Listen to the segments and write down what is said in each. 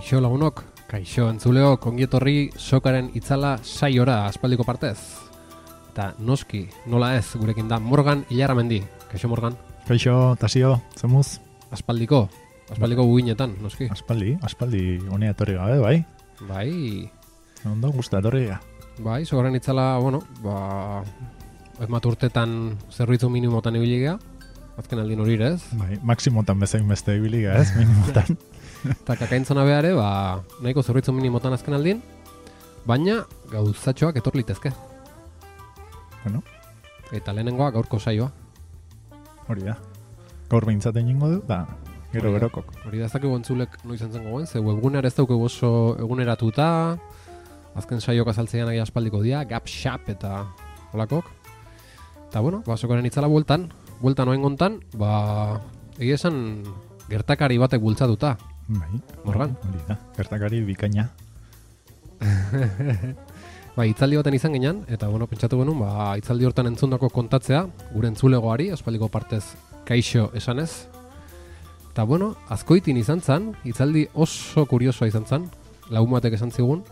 Kaixo lagunok, kaixo entzuleok, ongietorri sokaren itzala saiora aspaldiko partez. Eta noski, nola ez, gurekin da Morgan Ilarramendi. Kaixo Morgan. Kaixo, Tasio, zemuz? Aspaldiko guinetan, noski. Aspaldi honea etorri gabe, bai? Bai. Ondo, guzta etorri ga. Bai, sokaren itzala, emat urtetan zerbitzu minimotan ibili gea. Azken aldin hori ez? Bai, maksimotan bezain beste ibili ga ez, minimotan. Eta kakaintzona behare, nahiko zerbitzu minimotan azken aldin, baina gauzatxoak etor litezke. Bueno. Eta lehenengoa gaurko saioa. Hori da. Gaur behintzaten jingo du, da, gerokok. Hori da, ez dakigu entzulek noiz entzen gogoen, ze webgunear ez dauke oso eguneratuta, azken saioak azaltzean agia aspaldiko dia, gap-shap eta holakok. Eta sokaren itzala bueltan oain gontan, egia esan gertakari batek bultzatuta. Bai, Morgan. Hori da, gertakari bikaina. Itzaldi baten izan ginen, eta pentsatu genuen, itzaldi hortan entzundako kontatzea, gure entzulegoari, aspaldiko partez kaixo esanez. Eta azkoitin izan zen, itzaldi oso kuriosoa izan zen, lagun batek esan zigun,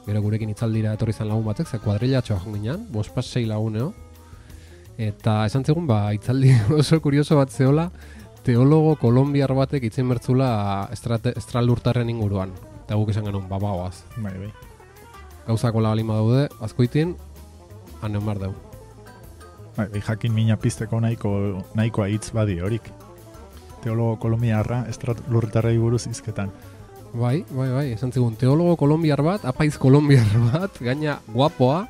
gero gurekin itzaldira etorri zen lagun batek, ze kuadrilatxoa joan ginen, 5-6 laguneo, eta esan zigun, itzaldi oso kurioso bat zehola, teologo kolombiar batek itzen bertzula estralurtarren inguruan. Eta guk esan genuen, bagoaz. Bai. Gauzako lagalima daude, azkoitin, aneon behar dugu. Bai, jakin mina pizteko nahikoa hitz badi horik. Teologo kolombiarra estralurtarrei buruz izketan. Bai, esan zigun, teologo kolombiar bat, apaiz kolombiar bat, gaina guapoa,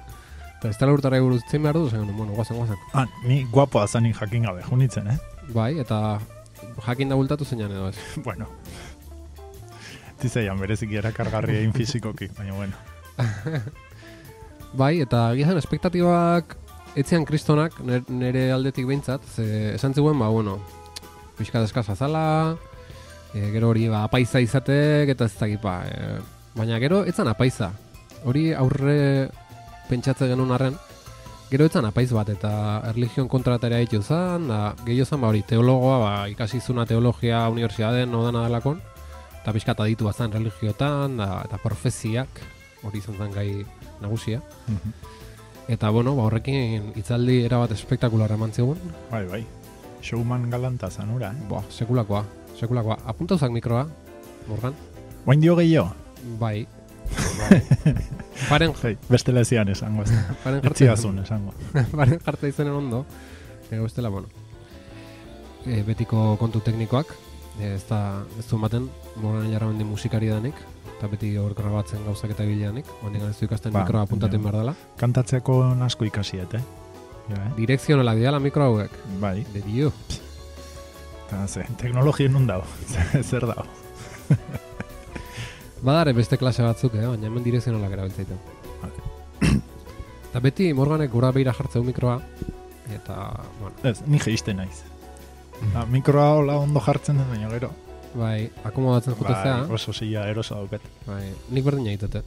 eta estralurtarrei buruz itzen behar du, zen genuen, guazen. Ni guapoa zanik jakin gabe, junitzen, Bai, eta jakin da bultatu zeinan edo ez. Bueno. Tizaian berezik erakargarria egin fizikoki, baina bueno. Bai, eta gizan espektatibak etzian kristonak nire aldetik behintzat, esan ziguen, pixka deskaza zala, gero hori apaiza izatek, eta ez dakit, baina gero etzan apaiza. Hori aurre pentsatze genuen arren, gero etzan apaiz bat, eta erligion kontratarea ditu zen, gehiago zen, hori teologoa, ikasi zuna teologia unibertsitateen odana dalakon, eta pixka eta ditu bazan religiotan, eta profeziak, hori izan zen gai nagusia. Eta horrekin itzaldi erabat espektakularra eman zigun. Bai. Showman galanta zanura, Sekulakoa. Apuntauzak mikroa, Morgan? Oain dio gehiago? Bai. Paren beste lezian esango, etziazun esango. Paren jartza izenen ondo, bestela, betiko kontu teknikoak, ez du ematen, Morgan Ilarramendi musikari danik, eta beti hor grabatzen gauzak eta bileanik, hondik ez du ikasten mikroa apuntaten behar dela. Kantatzeko asko ikasiet, Direkzionalak diala mikro hauek. Bai. De dio. Eta teknologien nun dago, zer dago. Badare beste klase batzuk, baina hemen direkzionalak erabiltzaiten. Eta beti Morganek gura behira jartzeu mikroa, eta, Ez, ni geiste naiz. Mikroa hola ondo jartzen den, baina gero. Bai, akomodatzen jutezea. Bai, oso zila erosa dauket. Bai, nik berdin egitete.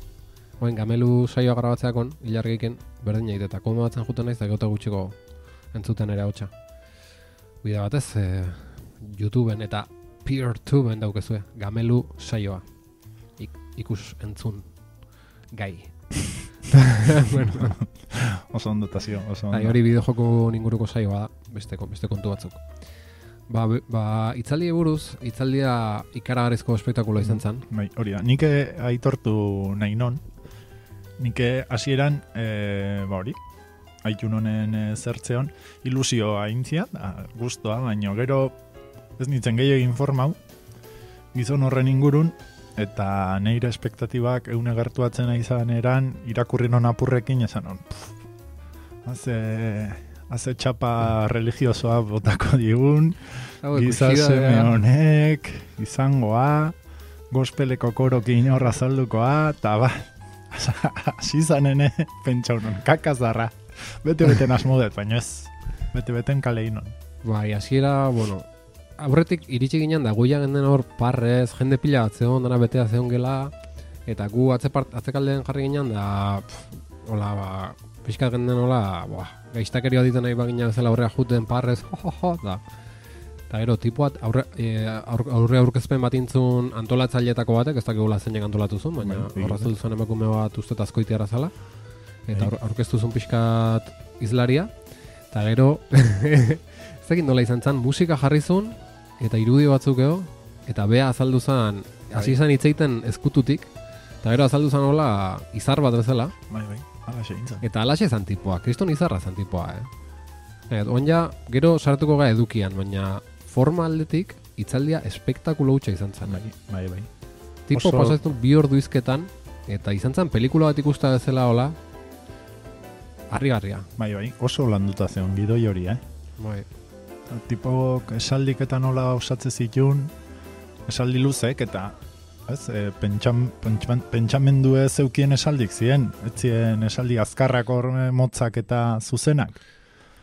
Gamelu saioa grabatzeakon, ilargeiken, berdin egitete. Akomodatzen juten naiz, da gauta gutxiko entzuten ere hautsa. Bida batez, YouTubeen eta PeerTubeen daukezue, Gamelu saioa. Ikus entzun gai. Oso ondo, Tasio, oso ondo. Hori bideojoko inguruko saioa da, beste kontu batzuk. Itzaldi buruz, itzaldia ikaragarrizko espektakula izan zen. Bai, hori da. Nik aitortu nahi non. Nik hasieran, haitun honen zertzeon, ilusioa intzia, guztua, baina gero ez nintzen gehiago informau, gizon horren ingurun, eta neire espektatibak eune gertuatzen izan eran, irakurri non apurrekin, esan non, haze txapa religiosoa botako digun, gizaseme honek, izangoa, gospeleko korokin horra zaldukoa, eta hasi zanene pentsa honon, kakazarra. Bete-beten asmodet, baina ez, bete-beten kaleinon. Bai, hasiera, aurretik iritsi ginen da, guia genden hor parrez, jende pila bat zeon, dana betea zeon gela, eta gu atzekaldean jarri ginen da, pixkat genden gaiztakeria ditan nahi bagina bezala horrea juten parrez, da. Eta gero, tipuat aurre aurkezpen bat intzun antolatzaileetako batek, ez dakigula zeinek antolatu zuen, baina horraztu duzuen emakume bat uste azkoitiarra zala. Eta aurkeztu zuen pixkat izlaria. Eta gero, ez dakit nola izan zen, musika jarri zuen, eta irudi batzuk edo, eta bea azaldu zen, hasi zen hitzeiten ezkututik, eta gero azaldu zen nola izar bat bezala. Bai, alaxe intzan. Eta alaxe zan tipoa, kriston izarra zan tipoa, Oin gero sartuko gara edukian, baina forma aldetik hitzaldia espektakulo hutsa izan zen. Bai. Tipo pasatu 2 ordu izketan, eta izan zen pelikula bat ikusta bezala hola, harrigarria. Bai, oso landuta zeon gidoi hori, Bai. Tipok esaldiketan nola osatze zitun, esaldi luzek, eta pentsamendu ez zeukien esaldik ziren, ez ziren esaldi azkarrak hor motzak eta zuzenak.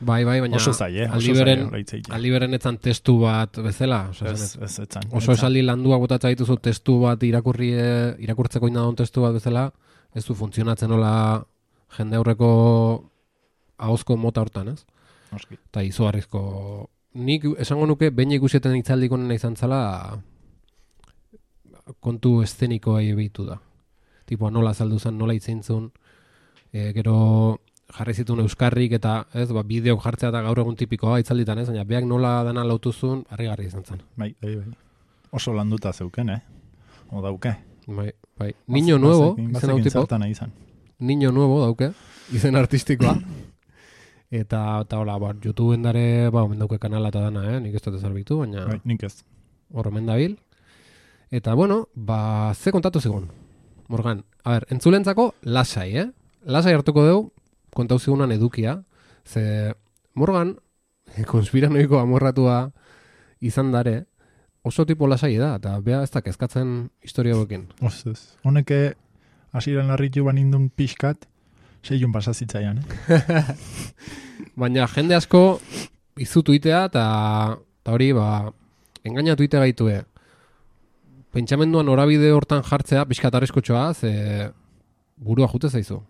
Bai, baina oso zaie, aldiberen etzan testu bat bezala. Ez etzan. Oso esaldi landua botatza dituzu testu bat irakurtzeko inadon testu bat bezala, ez du funtzionatzen nola jende aurreko ahozko mota hortan, ez? Eta izugarrizko. Nik esango nuke, behin ikusieten hitzaldik onena izan zala, kontu eszenikoa ebitu da. Tipo, nola azaldu zen, nola hitzeintzun, gero jarri zituen euskarrik eta bideok jartzea eta gaur egun tipikoa hitzalditan, ez? Baina beak nola dana lautuzun, harrigarri izan zen. Bai. Oso landuta zeuken, O dauke. Bai. Niño Nuevo, izen hau tipo. Niño Nuevo dauke, izen artistikoa. Eta hola, YouTubeen dare, omen dauke kanala eta dana, nik ez dut ezarbitu, baina... Bai, nik ez. Hor omen dabil. Eta, ze kontatu zigun? Morgan, entzulentzako lasai, Lasai hartuko dugu, kontau zigunan edukia, ze Morgan, konspiranoiko amorratua izan dare, oso tipo lasai da, eta bea ez da kezkatzen historia bokin. Honeke, hasiran larritu banindun pixkat, 6 pasazitzaian, Baina jende asko izu tuitea, eta hori, engainatu ite gaitue. Pentsamenduan norabide hortan jartzea, pixkat arriskotxoa, ze burua jute zaizu.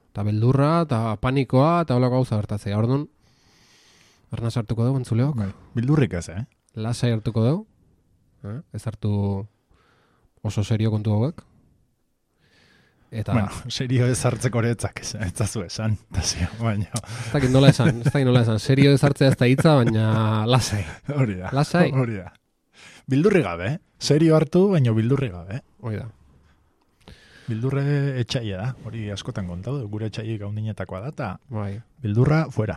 Eta beldurra, eta panikoa, eta holako gauza bertatzea. Orduan, arnaz hartuko dugu, entzuleok? Bildurrik ez, Lasai hartuko dugu. Ez hartu oso serio kontu hauek. Eta... serio ez hartzeko horetzak, ez zazu esan. Baina... Ez dakit nola esan. Serio ez hartzea ez da hitza, baina lasai. Hori da. Lasai. Bildurri gabe, Serio hartu, baina bildurri gabe. Hori da. Bildurre etxaila da, hori askotan kontau, gure etxaila gaundinetakoa da, eta bildurra fuera.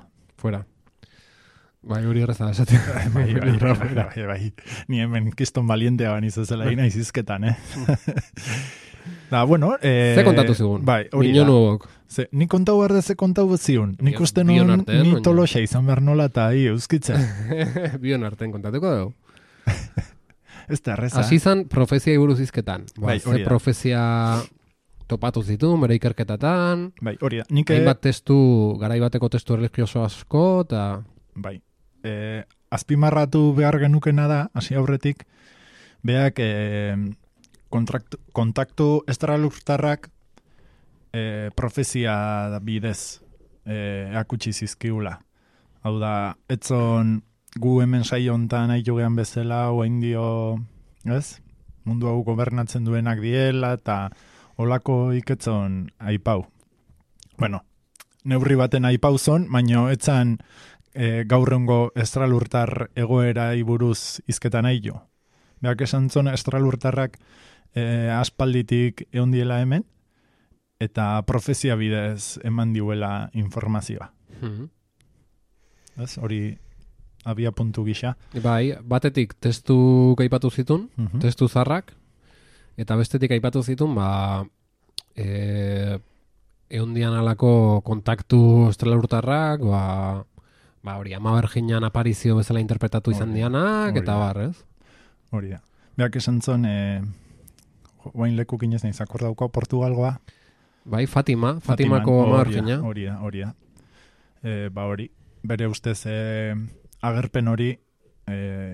Bai, hori erraza da esatea. Bai. Ni hemen kiston balientea baniz ezela ina izizketan, Da, bueno... Ze kontatu zigun? Bai, hori Niño Nuevok. Ni kontau behar da ze kontau ziun. Nik uste nun ni toloxa izan behar nola eta euskitza. Bion artean kontatuko dugu. Ez da erreza. Asi zan profezia buruz izketan. Bai, ze profezia topatu zituen, bere ikerketatan. Bai, hori da. Hainbat testu, garaibateko testu religioso asko, eta... Bai. Azpimarratu behar genukena da, hasi aurretik, beak kontaktu estralurtarrak profezia bidez akutsi zizkiula. Hau da, etzon gu hemen saio hontan aitu gehan bezala, oain dio, mundu hau gobernatzen duenak diela, eta olako iketzon aipau. Bueno, neurri baten aipau zon, baina etzan gaurrengo estralurtar egoera buruz izketan aio. Beak esan zon estralurtarrak aspalditik egon diela hemen, eta profezia bidez eman diuela informazioa. Hori abia puntu gisa. Bai, batetik testu aipatu zitun, testu zarrak, eta bestetik aipatu zitun, eondian alako kontaktu estralurtarrak, hori, Ama Berginan aparizio bezala interpretatu izan dianak, eta ez? Hori da. Beak esan zon, guain lekuk inez nahi zakordauko Portugalgoa. Bai, Fatimako Ama Bergina. Hori da. Hori, bere ustez agerpen hori,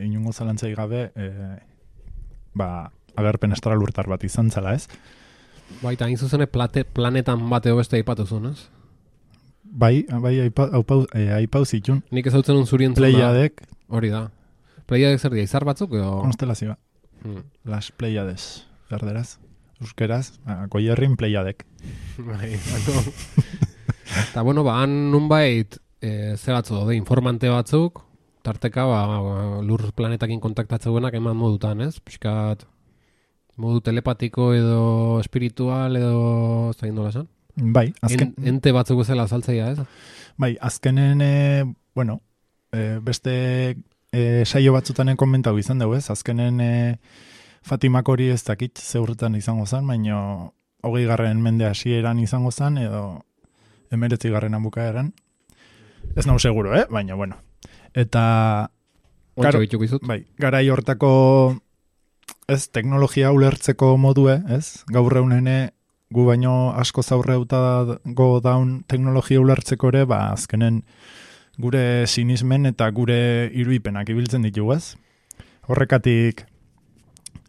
inungo zalantzai gabe, agerpen estralurtar bat izan zela, ez? Bai, eta hain zuzene planetan bateo beste aipatuzun, ez? Bai, aipau zitun. Nik ezautzen un zurien Pleiadek. Hori da. Pleiadek zer dira, izar batzuk edo? Konstelazioa. Las Pleiades, berderaz. Euskeraz, Goierrin Pleiadek. Bai, eta bueno, han nunbait ze batzu daude, informante batzuk, tarteka lur planetakin kontaktatzeuenak eman modutan, ez? Piskat modu telepatiko edo espiritual edo zain dola esan? Bai, azken... Ente batzuk zela azaltzeia, ez? Bai, azkenen, beste saio batzutanen komentau izan dugu, ez? Azkenen Fatimak hori ez dakit zeurretan izango zen, baina 20. mende hasieran izango zen, edo 19. bukaeran. Ez nau seguro, baina, bueno. Eta... Ontsa bituko izut. Bai, garai hortako ez teknologia ulertzeko modue, ez? Gaur egunene gu baino asko zaurreutago daun teknologia ulertzeko ere, azkenen gure sinismen eta gure iruipenak ibiltzen ditugu, ez? Horrekatik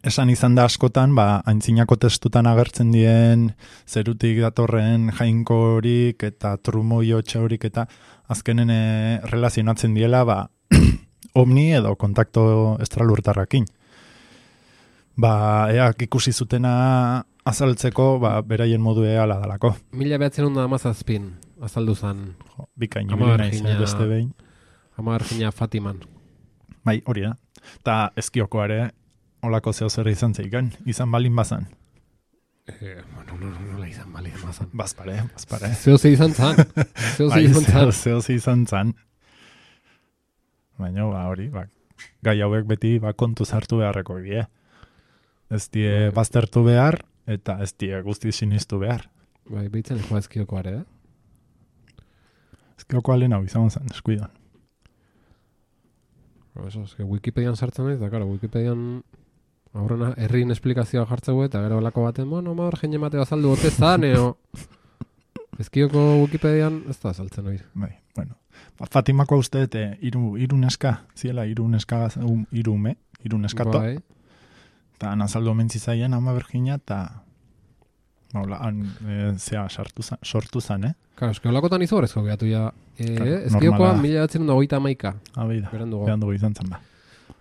esan izan da askotan, aintzinako testutan agertzen dien zerutik datorren jainkorik eta trumoiotxa horik eta azkenen relazionatzen diela, omni edo kontakto estralurtarrakin. Eak ikusi zutena azaltzeko, beraien modue ala dalako. 1917 azaldu zan. Bikain naiz beste behin. Ama Virginia Fatiman. Bai, hori da. Ta ezkiokoare olako zeo zer izan zeiken, izan balin bazan. Nola izan balin bazan. Bazpare. Zeo ze izan zan. Zeo ze izan zan. Baina, hori, gai hauek beti kontuz hartu beharreko die. Ez die baztertu behar, eta ez die guzti sinistu behar. Bai, behitzen joa ezkiokoare, Ezkioko alen hau izan zen, eskuidan. Eso, es que Wikipedian sartzen naiz, da, claro, Wikipedian aurrena herrin esplikazioa jartzeu eta gero lako baten, Ama Virginia mateo azaldu bote zan, ezkioko Wikipedian ez da azaltzen hori. Bai, bueno. Fatimako uste, iru neska, ziela, iru neskato. Bai. Eta nazaldu omentzi zaien Ama Virginia, eta sortu zan, Claro, eske holakotan izo horrezko gehatu ja. Ezkiokoa 1931. Berandugu izan zen ba.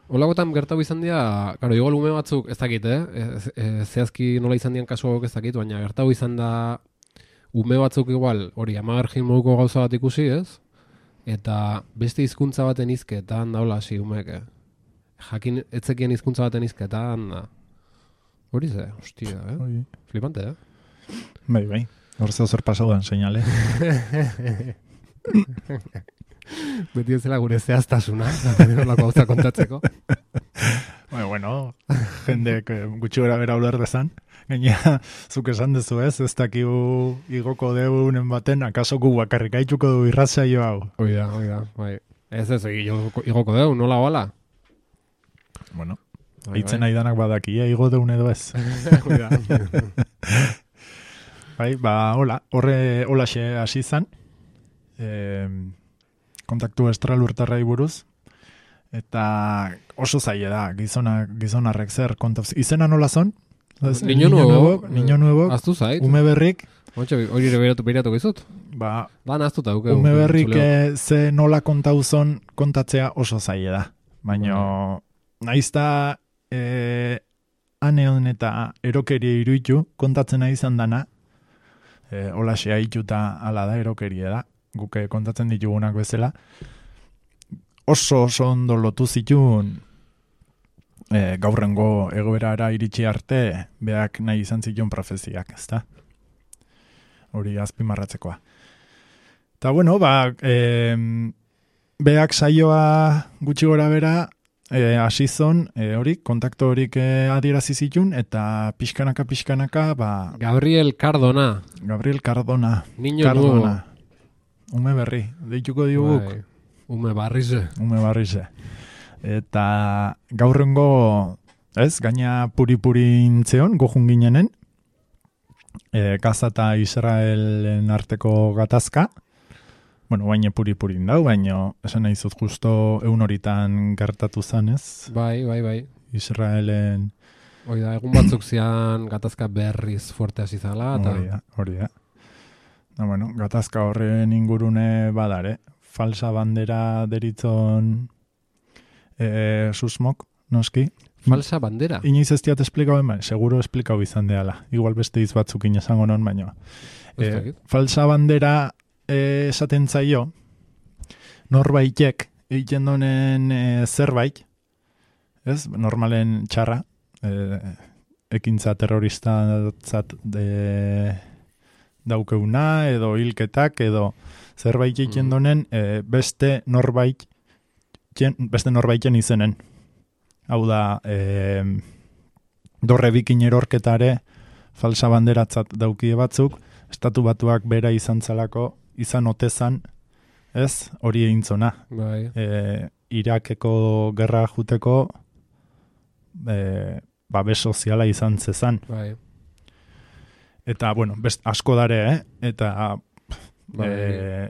Holakotan gertatu izan dira, claro, igual ume batzuk, ez dakit, zehazki nola izan dian kasu ez dakit, baina gertatu izan da ume batzuk igual, hori, Ama Virgin moduko gauza bat ikusi, ez? Eta beste hizkuntza baten izketan daula hasi umeek, jakin etzekien hizkuntza baten izketan da. Hori ze, hostia, Flipante, Bai. Hor zeo zer pasaudan, seinale. Beti ez zela gure zehaztasuna, horlako gauza kontatzeko. Bueno, jendek gutxi gara bera uler dezan. Gaina, zuk esan dezu ez dakigu igoko deunen baten, akaso gu bakarrik haitxuko du irratzaio hau. Oida, bai. Ez, igoko deu, nola hola? Bueno, hitzen aidanak badaki, igo deun edo ez. Oida. Bai, holaxe hasi zan, kontaktu estralurtarrai buruz, eta oso zaila da, gizonarrek zer kontaz. Izena nola zon? Niño nuevo. Aztu zait. Ume berrik. Hori beratuko izut? Ba, naztuta duke. Ume berrik ze nola kontauzon kontatzea oso zaila da. Baina, naizta aneon eta erokeria iruitu kontatzen nahi izan dana, holaxe haituta ala da, erokeria da, guke kontatzen ditugunak bezala, oso ondo lotu zituen gaurrengo egoerara iritsi arte, beak nahi izan zituen profeziak, ezta? Hori azpimarratzekoa. Eta bueno, beak saioa gutxi gora bera, asizon, kontakto horik adierazi zituen, eta pixkanaka, Gabriel Cardona. Niño nuevo. Ume berri, deituko diguk. Ume barrize. Eta gaurrengo, gaina puri-puri intzeon, gojun ginenen, Gaza eta Israelen arteko gatazka, baina puri-purin dau, baina esan nahi zut justo egun horitan gertatu zanez. Bai. Israelen... Hori da, egun batzuk zian gatazka berriz fuerte hasi zala. Hori da. Gatazka horren ingurune badare. Falsa bandera deritzon susmok, noski. Falsa bandera. Inoiz ez diat esplikau, seguro esplikau izan deala. Igual beste hitz batzukin esango non, baina. Falsa bandera esaten zaio, norbaitek egiten donen zerbait, ez? Normalen txarra, ekintza terroristatzat daukeuna, edo hilketak, edo zerbait egiten donen beste norbaiten izenen. Hau da, dorre bikin erorketare falsa banderatzat daukie batzuk, Estatu Batuak bera izan otezan, ez, hori egintzona. Bai. Irakeko gerra juteko babes soziala izan zezan. Bai. Eta, bueno, asko dare, eta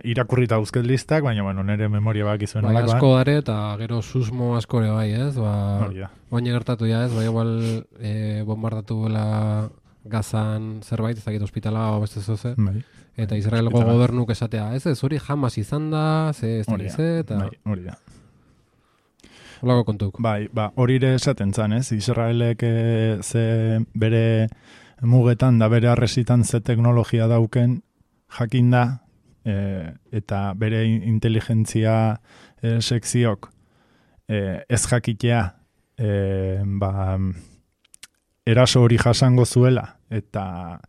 irakurrita uzket listak, baina, bueno, nire memoria bak izuen. Bai, asko dare, eta gero susmo askore bai, ez? Baina gertatu ja, ez? Bai, igual bombardatu bela Gazan zerbait, ez dakit hospitala o beste zoze. Bai. Eta Israelgo gobernuk esatea, ez hori jamas izan da, ez eta... Hori da. Holako kontuk. Bai, hori ere esaten zan, ez? Israelek ze bere mugetan da bere arresitan ze teknologia dauken jakin da, eta bere inteligentzia sekziok ez jakitea eraso hori jasango zuela, eta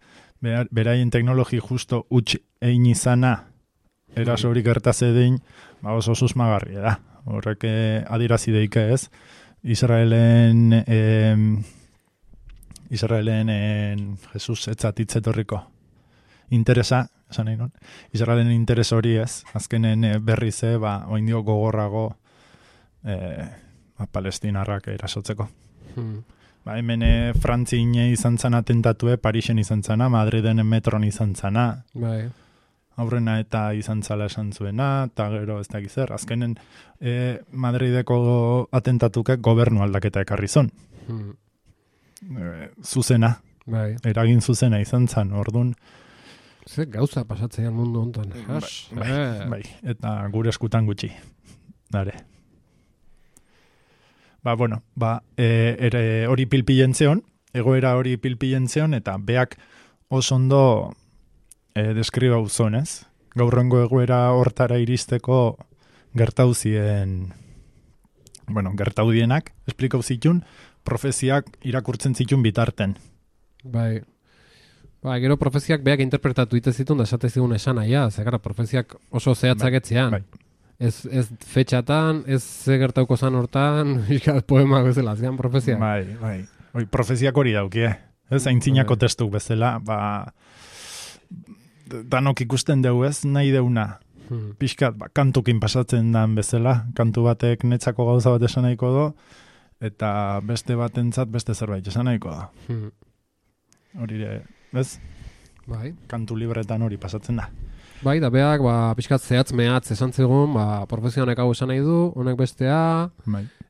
beraien teknologi justo utx egin izana eraso hori gertaze dein, oso susmagarria da. Horrek adirazi deike ez. Israelen Jesus etzatitzetorriko interesa, esan nahi non, Israelen interes hori ez, azkenen berri ze, oindio gogorrago palestinarrak erasotzeko. Hemen Frantzine izan zana tentatue, Parisen izan zana, Madriden metron izan zana. Bai. Aurrena eta izan zala esan zuena, eta gero ez dakiz zer. Azkenen Madrideko atentatuke gobernu aldaketa ekarri zon. Zuzena. Bai. Eragin zuzena izan zan, orduan. Ze gauza pasatzean mundu hontan. Bai. Eta gure eskutan gutxi. Dare. Hori pilpilen zeon, egoera hori pilpilen zeon, eta beak oso ondo deskribau zonez. Gaurrengo egoera hortara iristeko gertaudienak, esplikau zitun, profeziak irakurtzen zitun bitarten. Bai. Gero profeziak beak interpretatu ite zitun, da esate zigun esan aia, zegara profeziak oso zehatzaketzean. Bai. Ez fetxatan, ez gertauko zan hortan, poema bezala, azkean profezia. Bai. Profeziak hori daukie. Ez aintzinako testuk bezala, danok ikusten dugu ez, nahi deuna. Pixkat, kantukin pasatzen dan bezala, kantu batek netzako gauza bat esan nahiko do, eta beste batentzat beste zerbait esan nahiko da. Hori ez? Bai. Kantu libretan hori pasatzen da. Bai, da beak, pixkat zehatz mehatz esan zegoen, profesionek hau esan nahi du, honek bestea,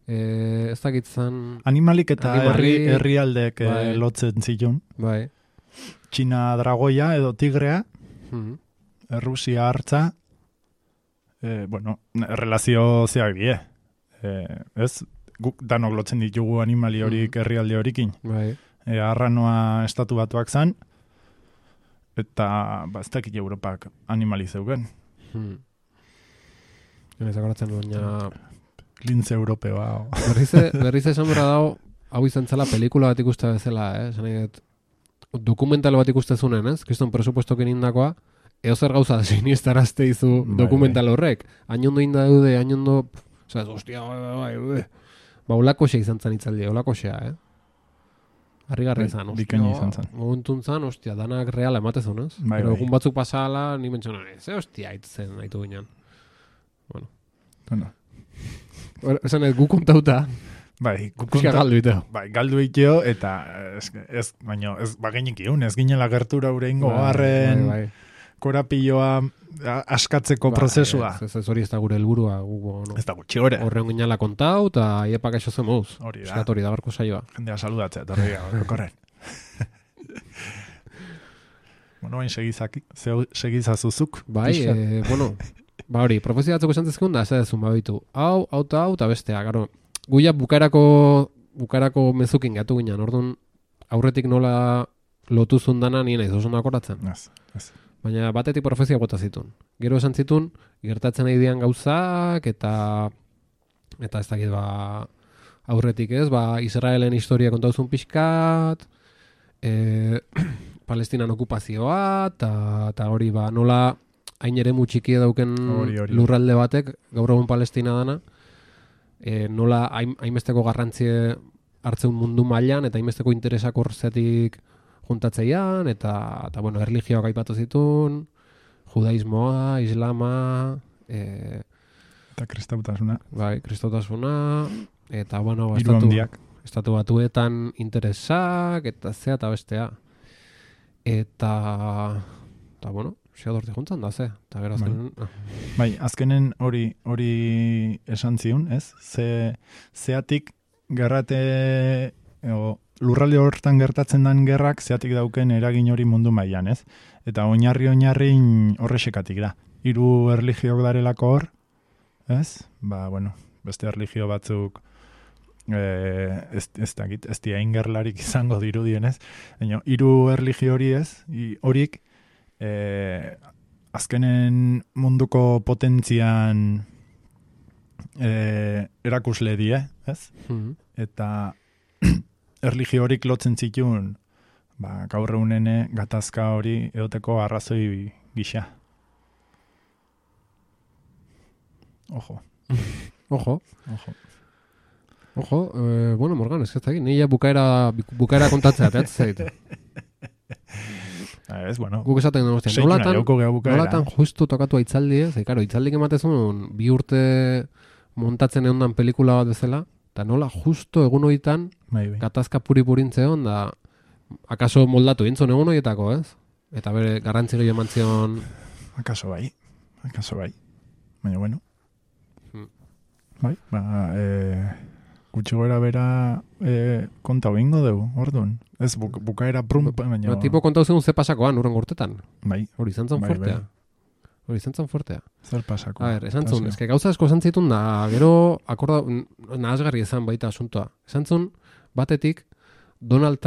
ez dakitzen... Animalik eta herrialdek lotzen zitun. Bai. Txina dragoia edo tigrea, Rusia hartza, relazio zeak die. Ez? Guk danok lotzen ditugu animali horik herrialde horikin. Bai. Arranoa Estatu Batuak zan, eta ez dakit Europak animali zeugen. Ez akoratzen duena... Lintze europeoa. Berriz esan bera dago, hau izan zela pelikula bat ikuste bezala, dokumental bat ikustezunen, ez? Kriston presupuestokin indakoa, eozer gauza siniestarazte izu dokumental horrek. Ainondo indaude, ainondo... Ostia, olako xe izan zan itzaldi, olako xea, Harrigarri izan, bikaini izan zan. Momentun zan, danak reala ematezun, ez? Pero egun batzuk pasala, ni mentxonan, aitzen haitu ginen. Bueno. Esan ez, gu kontauta. Bai, galdu iteo. Bai, galdu iteo, eta ez bagainik iun, ez ginela gertura ureingo harren korapilloa askatzeko prozesua. Ez hori ez da gure helburua. Ez da gutxi gore. Horreun ginela kontau, eta iepak eso zemuz. Hori da. Eskat hori da barko saioa. Jendea saludatzea, torria, korren. Bain segizazuzuk. Bai, hori, profezio batzuk esan zezkun da, ez edezun babitu. Hau, eta bestea, garo, guia bukarako mezukin gatu ginen, orduan aurretik nola lotu zundana nien ez oso nakoratzen. Ez. Baina batetik profezia bota zitun. Gero esan zitun, gertatzen nahi dian gauzak, eta ez dakit aurretik ez, Israelen historia kontauzun pixkat, Palestinan okupazioa, eta hori nola hain ere txikia dauken lurralde batek, gaur egun Palestina dana, nola hainbesteko garrantzie hartzeun mundu mailan eta hainbesteko interesak horzetik juntatzeian, eta bueno, erlijioak aipatu zitun, judaismoa, islama, eta kristautasuna. Bai, kristautasuna, eta bueno, estatu batuetan interesak, eta zea eta bestea. Eta bueno, xeadorti juntzan da, eta gero azkenen... Bai, azkenen hori esan ziun, ez? Zeatik gerrate, lurralde hortan gertatzen den gerrak, zeatik dauken eragin hori mundu mailan, ez? Eta oinarri horrexekatik da. 3 erlijiok darelako hor, ez? Bueno, beste erlijio batzuk ez dira ingerlarik izango dirudienez. 3 erlijio hori ez, horik azkenen munduko potentzian erakusle die, ez? Eta erlijio horik lotzen zituen gaur egunene gatazka hori eoteko arrazoi gisa. Ojo. Bueno, Morgan, ez da egin, nire bukaera kontatzea, ez zaitu. Ez, bueno. Guk esaten nolatan justu tokatu aitzaldi, ez? Karo, aitzaldik ematezun 2 urte montatzen egondan pelikula bat bezala, eta nola justo egun horietan gatazka puri-purintze hon, da akaso moldatu intzon egun horietako, ez? Eta bere garrantzi gehiago eman zion... Akaso bai. Baina, bueno. Bai, gutxi gora bera konta bingo dugu, orduan. Ez, bukaera baina... Tipo kontau zen ze pasakoan, urren urtetan. Bai. Hori zantzan fuertea. Zer pasako? A ver, esan zun, eske gauza asko esan zitun da, gero, akorda, nahazgarri ezan baita asuntoa. Esan zun, batetik, Donald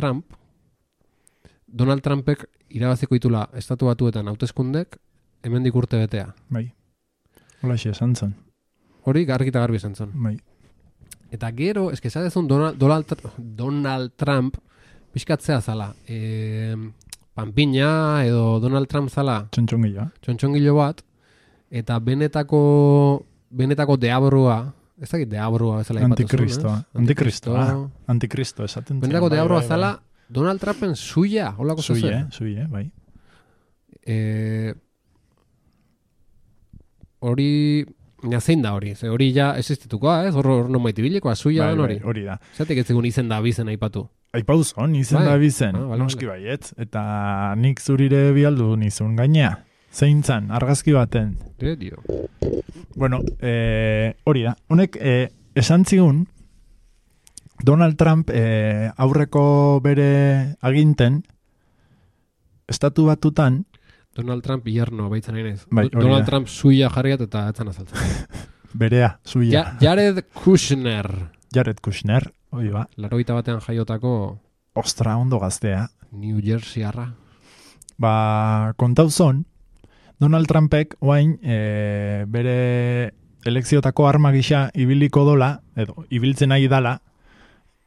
Trumpek irabaziko itula estatu batuetan hauteskundek, hemendik urte betea. Bai. Holaxe esan zun. Hori garbi eta garbi esan zun. Bai. Eta gero, eske zadezun Donald Trump pixkatzea zala. Panpina edo Donald Trump zala. Txontxongilo bat. Eta benetako deabrua, ez dakit deabrua bezala ipatu zuen. Antikristo esaten zen. Benetako deabrua zala Donald Trumpen suya, holako zuzen. Suye, bai. Hori... zein da hori? Hori ja existitukoa, ez? Hor nomaiti bilekoa, suya hori. Hori da. Zatek ez zegoen izen da abizen aipatu. Aipauzon, izen da abizen. Noski baietz. Eta nik zurire bialdu nizun gainea. Zein zan, argazki baten. Dio. Bueno, hori da. Honek, esan zigun, Donald Trump aurreko bere aginten, estatu batutan, Donald Trump hierno baitzen ainez. Bai, Donald Trump suya jarriat eta etzan azaltzen. Berea, suya. Jared Kushner, hori ba. 81 batean jaiotako... Ostra, ondo gaztea. New Jersey arra. Kontauzon, Donald Trumpek oain bere elekziotako arma gisa ibiliko dola, edo ibiltzen nahi dala,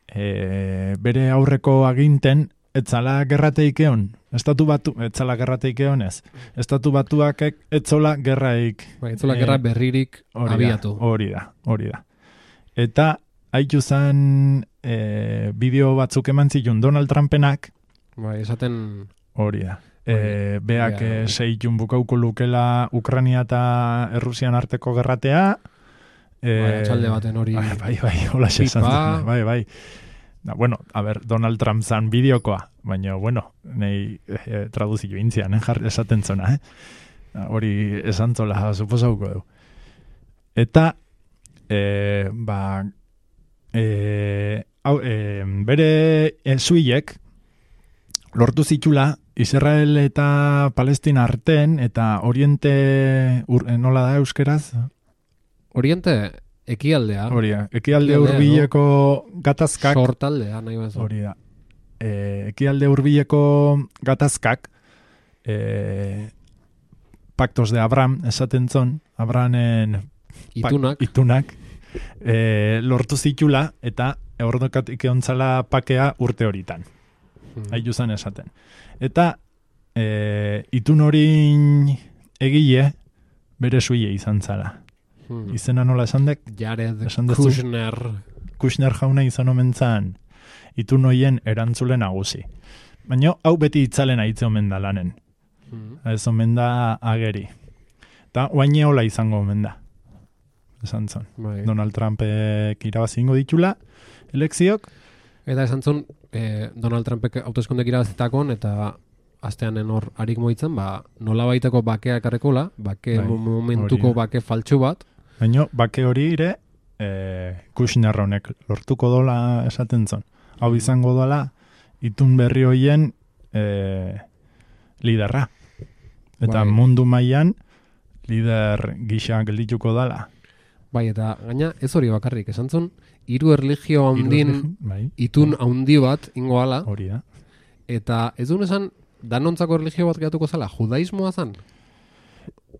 bere aurreko aginten etzala gerrateikeon. Etzala gerrateikeon ez. Estatu batuak etzola gerraik. Etzola gerra berririk abiatu. Hori da. Eta haitu zen bideo batzuk eman zitun Donald Trumpenak. Esaten... Hori da. Beak seitun bukauko lukela Ukrania eta Errusian arteko gerratea. Txalde baten hori... Bai, hola xesan. Bai. Bueno, a ver, Donald Trump zan bideokoa, baina, bueno, nahi traduzio intzian, esaten zona, hori esan zola, suposauko du. Eta, bere zuiek lortu zitula Israel eta Palestina arten, eta Oriente, nola da euskeraz? Oriente... Ekialdea. Hori da. Ekialde Ekialdea, hurbileko gatazkak. Sortaldea, nahi bazu. Hori da. Ekialde hurbileko gatazkak pactos de Abraham esaten zon, Abrahamen itunak lortu zitula eta ordokatik egontzala pakea urte horitan. Haitu zen esaten. Eta itun horin egile bere suie izan zara. Izena nola esan dek? Jared Kushner. Kushner jauna izan omen zan itun hoien erantzule nagusi. Baina hau beti itzalen aitze omen da lanen. Ez omen da ageri. Eta oaine hola izango omen da. Esan zon. Donald Trumpek irabazingo ditula elekziok. Eta esan zon, Donald Trumpek hauteskundek irabazitakon eta asteanen hor harik moitzen, nola baiteko bakea ekarrekola, momentuko bake faltsu bat. Baina bake hori ere Kushner honek lortuko dola esaten zon. Hau izango dola itun berri hoien liderra. Eta mundu mailan lider gisa geldituko dala. Bai, eta gaina ez hori bakarrik, esan zon, 3 erlijio handin itun handi bat ingo ala. Hori da. Eta ez duen esan, danontzako erlijio bat gehatuko zala, judaismoa zan?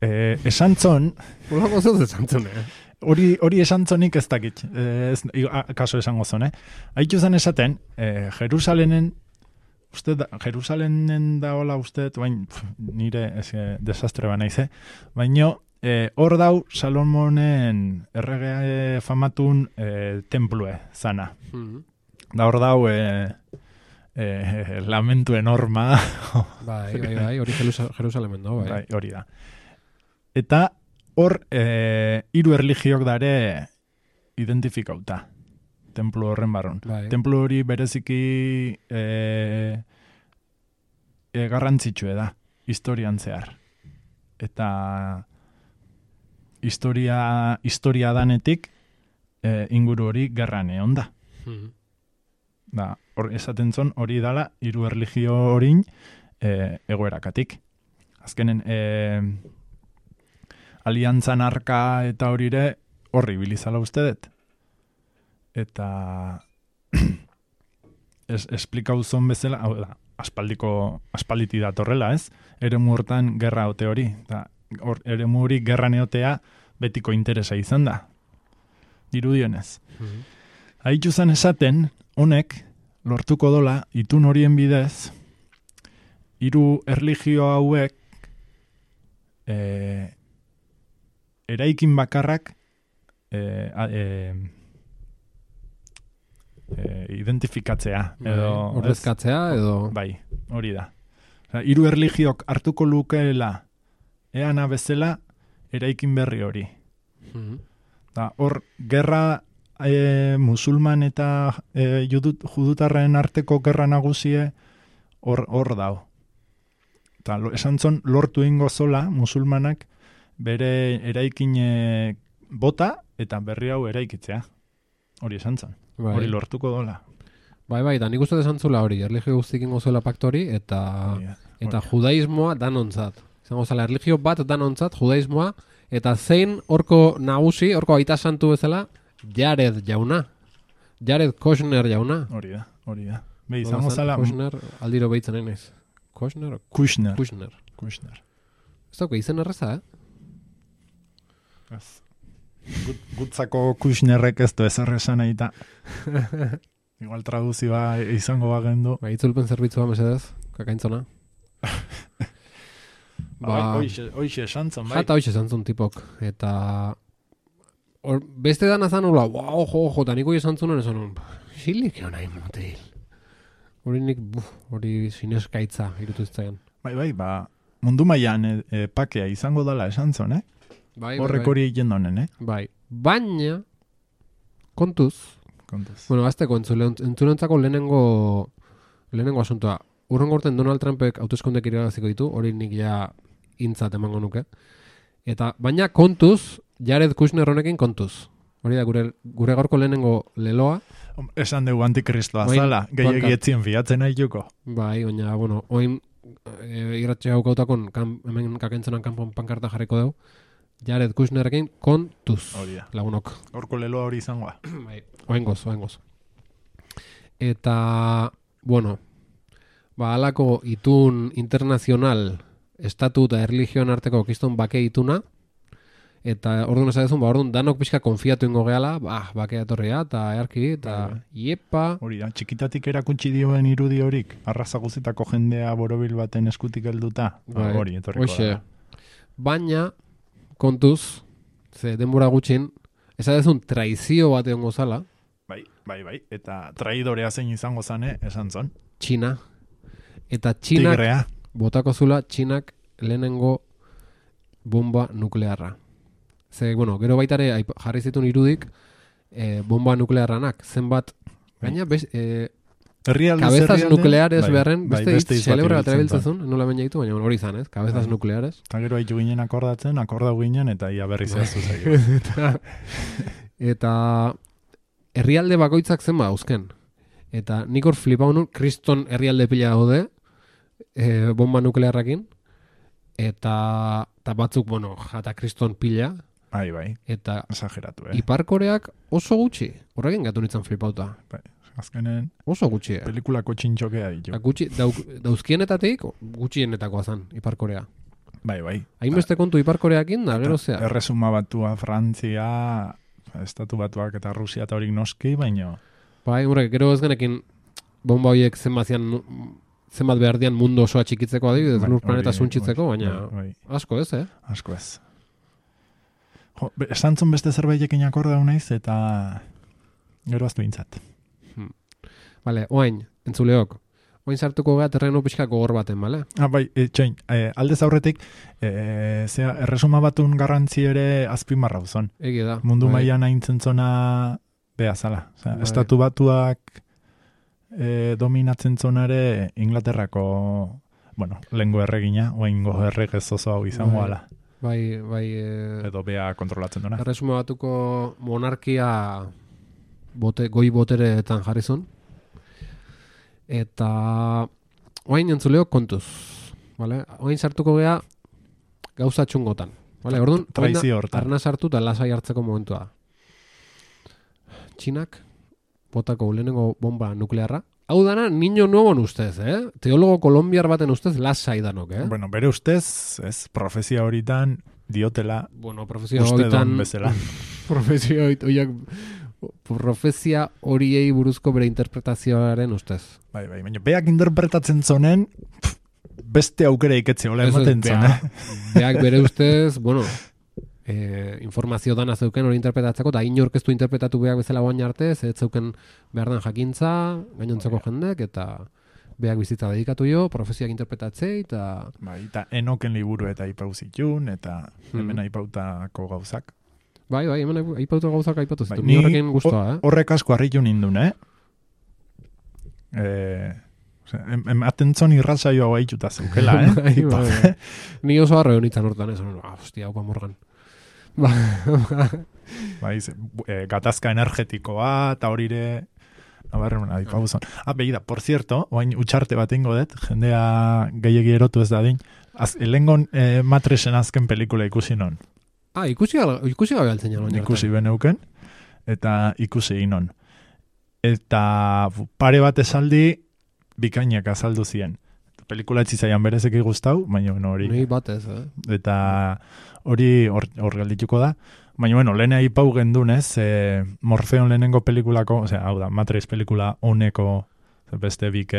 Esan zon... Olako zuz esan zon, Hori esan zonik ez dakit, kaso esango zon, Haitu zen esaten, Jerusalenen da hola uste, nire desastre ba naiz, baina hor dau Salomonen errege famatun templue zana. Da hor dau lamentu enorma. Bai, hori Jerusalemen da, bai. Hori da. Eta hor 3 erlijiok dare identifikauta. Templo horren barron. Templo hori bereziki garrantzitsue da, historian zehar. Eta historia danetik inguru hori gerran egon da. Esaten zon hori dala 3 erlijio horin egoerakatik. Azkenen aliantzan arka eta horire horri bilizala uste dut. Eta esplikau zon bezala, hau da, aspalditi datorrela, ez? Eremu hortan gerra ote hori. Eremu hori gerra neotea betiko interesa izan da. Dirudionez. Haitu zen esaten, honek lortuko dola, itun horien bidez, 3 erlijio hauek eraikin bakarrak identifikatzea. Ordezkatzea edo... Bai, hori da. 3 erlijiok hartuko lukeela eana bezala eraikin berri hori. Hor, gerra musulman eta judutarren arteko gerra nagusie hor dau. Esan zon, lortu ingo zola musulmanak bere eraikin bota eta berri hau eraikitzea. Hori esan zon. Hori lortuko dola. Bai, da nik uste esan zula hori, erlijio guztik ingo zuela paktori eta judaismoa danontzat. Zango zala, erlijio bat danontzat, judaismoa, eta zein horko nagusi, horko aita santu bezala, Jared jauna. Jared Kushner jauna. Hori da. Be, izango zala... Kushner, aldiro behitzen nahiz. Kushner. Ez dauka, izen erreza, Gutzako Kushnerrek ez du ezarresan eta igual traduzioa izango bagendu. Itzulpen zerbitzua mesedez, kakaintzona. Hoixe esantzun, bai. Jata hoixe esantzun tipok. Eta beste dana zan hola, ojo, eta niko esantzunen esan hon, xilik egon nahi motil. Hori sineskaitza irutu iztaian. Bai, mundu mailan pakea izango dala esantzun, Horrek hori egin donen, Bai, baina kontuz. Bueno, azteko entzunentzako lehenengo asuntoa. Urrengo urten Donald Trumpek hauteskundek irabaziko ditu, hori nik ja intzat emango nuke. Eta baina kontuz, Jared Kushner honekin kontuz. Hori da gure gaurko lehenengo leloa. Esan dugu antikristoa zala, gehiagietzien fiatzen aituko. Bai, baina, bueno, oin irratxe haukautakon hemen kakentzenan kanpon pankarta jarriko dugu. Jared Kushnerrekin kontuz. Hori da. Lagunok. Horko leloa hori izangoa. Bai, oengoz. Eta, bueno, halako itun internazional estatu eta erlijioan arteko kiston bake ituna, eta orduan esadezun, orduan danok pixka konfiatu ingo gehala, bakea etorria, eta earki, eta iepa. Hori da, txikitatik erakutsi dioen irudi horik, arraza guztietako jendea borobil baten eskutik helduta, hori etorriko da. Baina, kontuz, ze denbora gutxin, esadezun traizio bat egon gozala. Bai, eta traidorea zein izango zane, esan zon. Txina. Eta Txinak, Tigrea. botako zula, Txinak lehenengo bomba nuklearra. Ze, bueno, gero baitare jarri zituen irudik bomba nuklearranak. Zenbat, gaina, kabezas nukleares beharren, beste celebre bat erabiltzezun, nola baina ditu, baina hori izan, ez? Kabezas nukleares. Eta gero haitu ginen akordau ginen, eta ia berri zehaztu zaio. Eta herrialde bakoitzak zenba dauzken. Eta nik hor flipau nun, kriston herrialde pila gaude, bomba nuklearrakin, eta batzuk, bueno, jata kriston pila. Bai. Eta esageratu, Ipar-Koreak oso gutxi. Horrekin gatu nintzen flipauta. Bai, azkenen oso gutxi. Pelikulako txintxokea ditu. Gutxi, dauzkienetatik, gutxienetakoa zen, Ipar-Korea. Bai. Hainbeste kontu Ipar-Koreakin, da, gero zea. Erresuma batua, Frantzia, Estatu Batuak eta Rusia eta horik noski, baino. Bai, horrek, gero ez genekin bomba horiek zenbat behar dian mundu osoa txikitzeko adibidez, lur planeta zuntxitzeko, baina asko ez, Asko ez. Esantzun beste zerbaitekin akordau naiz, eta gero aztu bintzat. Bale, oain, entzuleok. Oain sartuko gara terreno pixka gogor baten, bale? Bai, txoin, aldez aurretik, erresuma batun garrantzi ere azpimarra uzon. Egi da. Mundu mailan aintzen zona beha zala. Estatu Batuak dominatzen zonare Inglaterrako, bueno, lengo erregina, oaingo erregez oso hau izango ala. Bai. Edo beha kontrolatzen duna. Erresuma Batuko monarkia goi botereetan jarrizun. Eta oain entzuleo kontuz. Vale? Oain sartuko gea gauza txungotan. Vale? Orduan, arna sartu eta lasai hartzeko momentua. Txinak botako lehenengo bomba nuklearra. Hau dana, niño nuevo ustez, Teologo kolombiar baten ustez lasai danok, Bueno, bere ustez, profezia horitan diotela. Bueno, profezia horitan bezala. Profezia horiei buruzko bere interpretazioaren ustez. Bai, baina beak interpretatzen zonen, beste aukera iketze hola ematen zonen. Beak bere ustez, bueno, informazio dana zeuken hori interpretatzeko, eta inorkeztu interpretatu beak bezala guain arte, ez zeuken behar den jakintza, gainontzeko jendek, eta beak bizitza dedikatu jo, profeziak interpretatzei, eta... Bai, eta enoken liburu eta aipau zitun, eta hemen aipautako gauzak. Bai, hemen aipautu gauzak aipatu zitu. Ni horrekin guztua, Horrek asko harritu nindun, Atentzon irratzaioa hau haituta zeukela, Ni oso harre honitzen hortan, hostia, haupa morgan. Bai, gatazka energetikoa, eta horire... Nabarren, adipabuzon. Beida, por cierto, oain utxarte bat ingo dut, jendea gehiagi erotu ez dadin, lengon Matrixen azken pelikula ikusi non. Ikusi gabe altzen jalo. Ikusi beneuken, eta ikusi inon. Eta pare bat esaldi, bikainak azaldu ziren. Pelikula etxizaian berezeki guztau, baina hori... Ni batez, Eta hori hor galdituko da. Baina, lehena ipau gendun, Morfeon lehenengo pelikulako, hau da, Matrix pelikula honeko beste bik,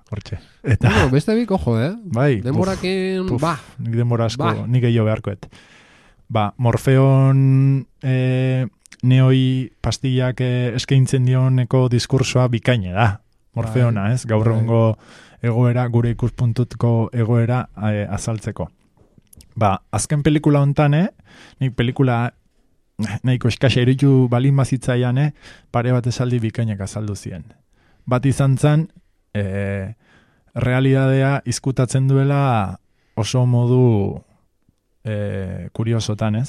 hortxe. Eta... beste bik, ojo, Bai. Denborakin, Nik denbora asko, nik gehiago beharkoet. Morfeon neoi pastillak eskaintzen dioneko diskursoa bikaine da. Morfeona, gaur egungo egoera, gure ikuspuntutko egoera azaltzeko. Azken pelikula hontan, nik pelikula nahiko eskasa eritu balin bazitzaian, pare bat esaldi bikainak azaldu ziren. Bat izan zen, realidadea izkutatzen duela oso modu kuriosotan,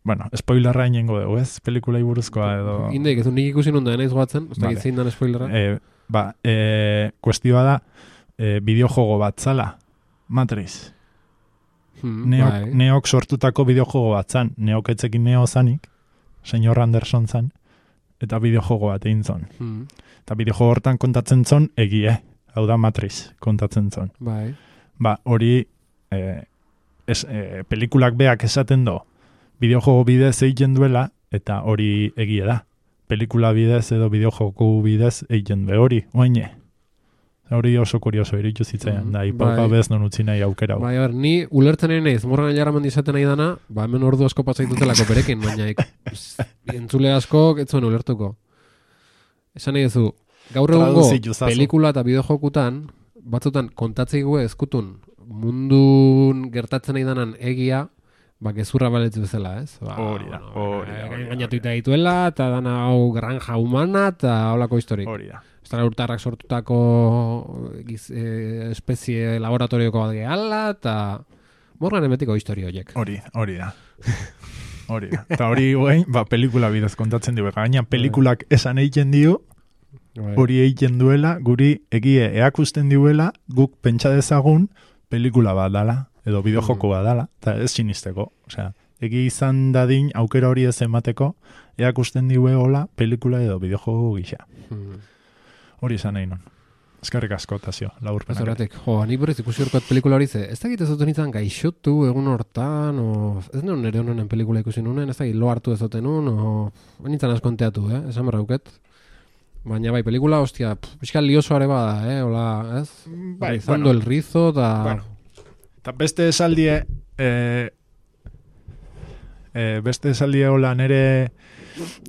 Bueno, spoilerra inengo dugu, Pelikulai buruzkoa edo... Indeik, ez nik ikusi nonda naiz goatzen, ez da gitzein dan spoilerra. Kuestioa da, bideojogo bat zala, Matrix. Neok sortutako bideojogo bat zan, neok etzekin neo zanik, Señor Anderson zan, eta bideojogo bat egin zon. Eta bideojogo hortan kontatzen zon egie, hau da Matrix kontatzen zon. Bai. Ba, hori pelikulak beak esaten do, bideojogo bidez egiten duela, eta hori egie da. Pelikula bidez edo bideojogo bidez egiten du hori, oaine. Hori oso kurioso iritu zitzaian, da, ipauka bez non utzi nahi aukera. Bai, ni ulertzen nahi Morgan Jaraman izaten nahi dana, hemen ordu asko pasaitutelako berekin, baina entzule asko ez zuen ulertuko. Esan nahi duzu, gaur egungo pelikula eta bideojokutan, batzutan kontatzeigu ezkutun mundun gertatzen nahi danan egia, gezurra baletz bezala, ez? Hori da. Gainatuita dituela, eta dana hau granja humana, eta holako historik. Hori da. Urtarrak sortutako espezie laboratorioko bat gehala, eta Morgan emetiko historio horiek. Hori da. Eta hori guain, pelikula bidez kontatzen dugu. Gaina pelikulak esan egiten dio, hori egiten duela, guri egie eakusten duela, guk pentsa dezagun pelikula bat dala, edo bideojoko bat dala, eta ez sinisteko. Osea, egi izan dadin aukera hori ez emateko, eakusten duela pelikula edo bideojogo gisa. Hori izan nahi non. Eskerrik asko, Tazio, laburpenak. Ezeratik, nik berriz ikusi horkoat pelikula hori ze, ez da egitezuten izan gaixotu egun hortan, ez nuen nire honen pelikula ikusi nunen, ez da lo hartu ezoten nun, nintzen askonteatu, esan berrauket. Baina bai, pelikula, hostia, pixkal liosoare bada, hola, ez? Bai, izando el rizo, da... Bueno, eta beste esaldie, hola, nire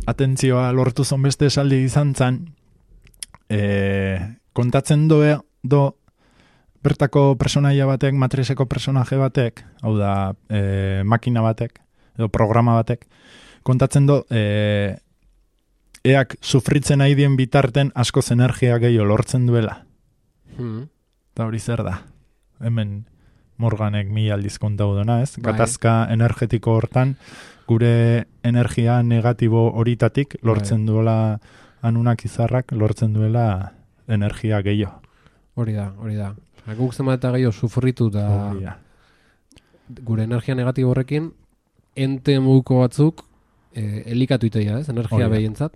atentzioa lortu zon beste esaldi izan zan, kontatzen do bertako personaia batek, Matrixeko personaje batek, hau da makina batek, edo programa batek, kontatzen do eak sufritzen nahi dien bitarten askoz energia gehiago lortzen duela. Eta hori zer da? Hemen Morganek 1000 aldiz kontau dona, ez? Gatazka energetiko hortan, gure energia negatibo horitatik lortzen duela anunak izarrak, lortzen duela energia gehiago. Hori da. Guk zenbat eta gehiago sufritu da gure energia negatibo horrekin, ente muguko batzuk elikatu iteia, ez? Energia behientzat.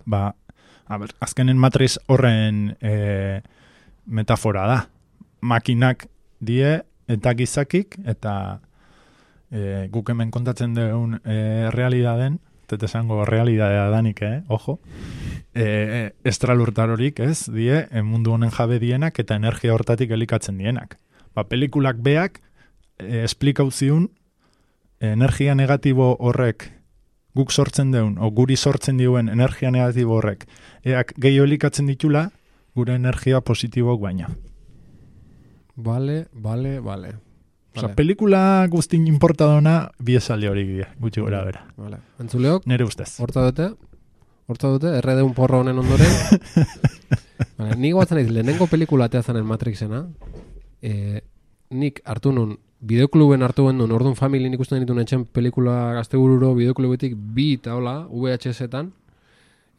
Azkenen Matrix horren metafora da. Makinak die eta gizakik, eta guk hemen kontatzen dugun realidaden, eta esango realidadea danik, ojo, estralurtarorik, ez, die, mundu honen jabe dienak eta energia hortatik elikatzen dienak. Pelikulak beak esplikau ziun energia negatibo horrek guk sortzen deun, o guri sortzen diuen energia negatibo horrek, eak gehiago elikatzen ditula, gure energia positibok baina. Vale. Osa, pelikula guztin importadona biesaldi hori gutxi gora bera. Vale. Entzuleok? Nere ustez. Horta dute, erredeun porro honen ondoren. Vale, nik batzen naiz, lehenengo pelikula atea zanen Matrixena, nik hartu nun, bideokluben hartu bendun, orduan familien ikusten dituen etxen pelikula gaztebururo, bideoklubetik 2 eta hola, VHS-etan,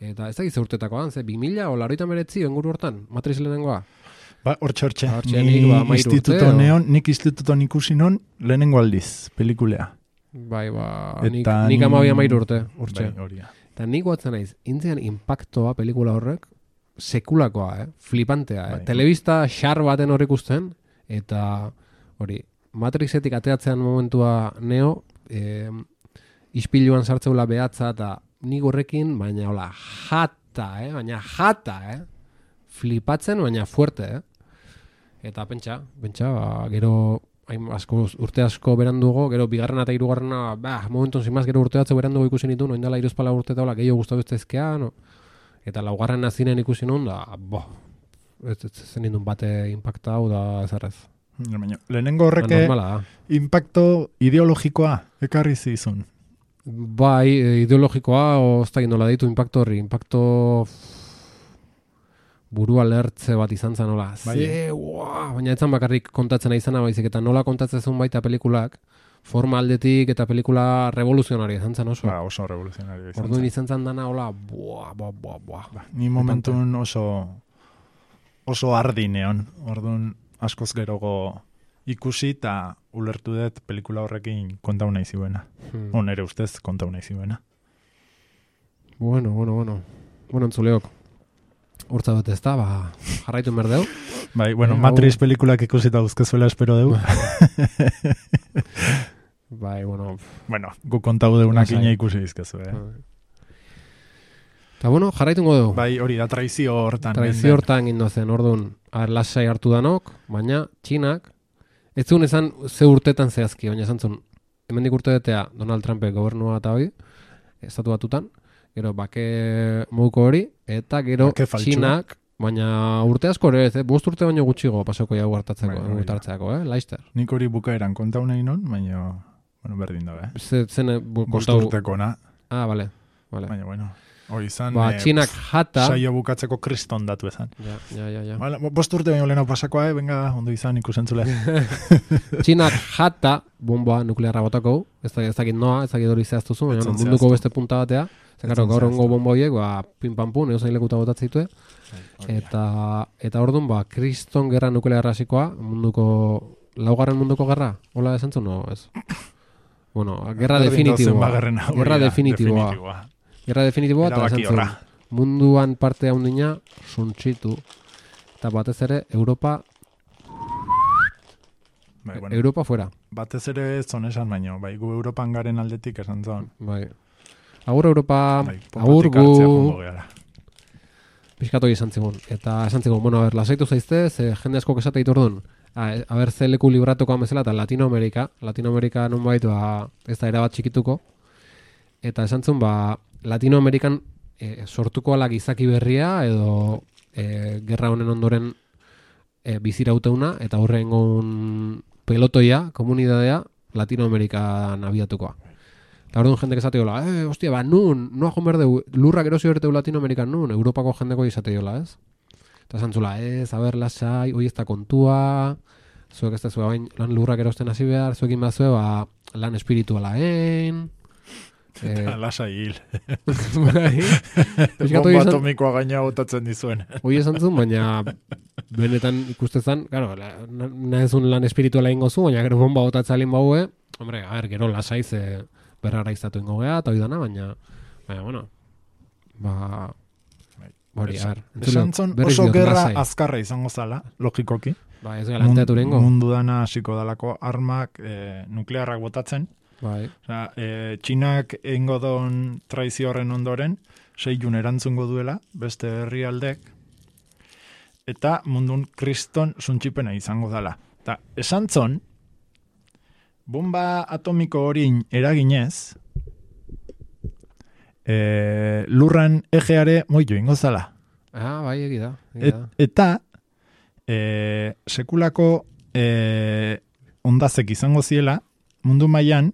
eta ez da gizte urtetakoan, 2000 o 89 enguru hortan, Matrix lehenengoa. Hortxe. Nik instituton ikusi non lehenengo aldiz, pelikulea. Bai, nik 12 urte, hortxe. Eta nik guatzen naiz, intzean impactoa pelikula horrek, sekulakoa, flipantea. Telebista xar baten hor ikusten, eta hori, Matrixetik ateatzean momentua neo, ispiluan sartzeula behatza, eta nik horrekin, baina hola, jata, flipatzen, baina fuerte, Eta pentsa, gero urte asko berandugo, gero bigarrena eta hirugarrena, momentun zimaz gero urte batzu berandugo ikusi nitu, noin dela 3 urte eta gehiago gustatu ezkezkea, eta laugarren zinen ikusi nun, da, ez zen nindun bate impactau da ezarrez. Lehenengo horreke impacto ideologikoa ekarri zizun. Bai, ideologikoa, oztak indola ditu impacto horri, impacto burua lertze bat izan zen, nola, baina etzan bakarrik kontatzen izana baizik, eta nola kontatzen zuen baita pelikulak, forma aldetik eta pelikula revoluzionari izan zen oso. Oso revoluzionari izan zen. Orduan izan zen dana, hola, Ni momentun oso ardi neon, orduan askoz gerogo ikusi, eta ulertu dut pelikula horrekin kontau nahi ziuena. Nere ustez kontau nahi ziuena. Bueno, entzuleok. Hortza dut ez da, jarraitu berdeu. Bai, bueno, Matrix pelikulak ikusita uzkezuela espero deu. Bai, bueno. Bueno, gu kontau deunak ina ikusi izkezu, Eta bueno, jarraituko dugu. Bai, hori da traizio hortan. Traizio hortan gindozen, orduan, lasai hartu danok, baina Txinak, ez zuen esan ze urtetan zehazki, baina esan zuen, hemendik urte detea Donald Trumpek gobernua eta hori, estatu batutan, gero bake moduko hori, eta gero Txinak, baina urte asko ere ez, bost urte baino gutxigo pasoko jau hartatzeko, Laister. Nik hori bukaeran kontau nahi non, baina, bueno, berdin da, Zen bost urteko na. Ah, bale. Baina, bueno, hori izan, Txinak jata... saio bukatzeko kriston datu ezan. Ja. Vale, bost urte baino lehenau pasakoa, venga, ondo izan ikusentzule. Txinak jata bomba nuklearra botako, ez dakit noa, ez dakit hori zehaztuzu, baina munduko beste punta batea, zekaro gaur ongo bomba horiek, pin-pam-pun, egozain lekuta botatzen zitue, eta orduan, kriston gerra nuklearra hasikoa, laugarren munduko gerra, hola esan zuen, no, ez? Bueno, gerra definitiboa. Gerra definitiboa, eta esan zuen, munduan parte haundina, suntxitu, eta batez ere, Europa fuera. Batez ere zon esan baino, bai, gu Europan garen aldetik esan zon. Bai. Agur Europa, agur gu... Piskatu izan zigun. Eta esan zigun, bueno, lasaitu zaizte, ze jende asko esate diturdun. Ze leku libratuko amezela, eta Latinoamerika non baitu, ez da erabat txikituko. Eta esan zigun, Latinoamerikan sortuko ala gizaki berria, edo gerra honen ondoren bizirauteuna, eta horrengon pelotoia, komunidadea, Latinoamerikan abiatukoa. Eta orduan jendek esateola, hostia, noa joan berdeu, lurrak erosi berteu Latinoamerikan nun, Europako jendeko izateola, ez? Eta zantzula, lasai, hoi ez da kontua, zuek ez da zua bain, lan lurrak erosten hasi behar, zuekin bat zue, lan espirituala lasai hil. Bomba atomikoa gaina botatzen dizuen. Hoi esan zuen, baina benetan ikustezan, claro, nahezun lan espirituala ingo zu, baina gero bomba botatzalin baue, hombre, gero lasai ze berrara izatu ingo geha, eta hoi dana, baina, bueno, hori, esan zon oso gerra azkarra izango zala, logikoki. Ez galanteatu rengo. Mundu dana hasiko dalako armak nuklearrak botatzen. Bai. Txinak eingo don traizio horren ondoren, 6 jun erantzungo duela, beste herrialdek, eta mundun kriston suntxipena izango dala. Eta esan zon, bomba atomiko horin eraginez, lurran egeare moio ingo zala. Bai, egida. Eta sekulako ondazek izango ziela, mundu mailan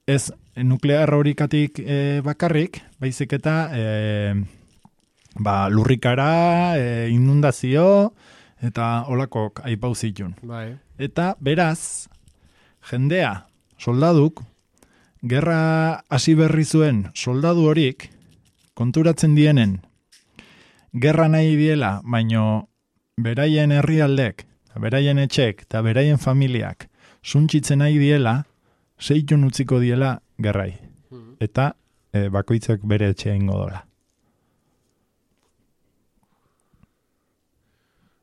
ez nuklear horikatik bakarrik, baizik eta lurrikara, inundazio, eta holakok aipauzitun. Bai. Eta beraz, jendea, soldaduk, gerra hasi berri zuen soldadu horik, konturatzen dienen, gerra nahi diela, baino beraien herrialdek, beraien etxek, eta beraien familiak, suntxitzen nahi diela, 6 jun utziko diela gerrai. Eta bakoitzak bere etxea ingo dola.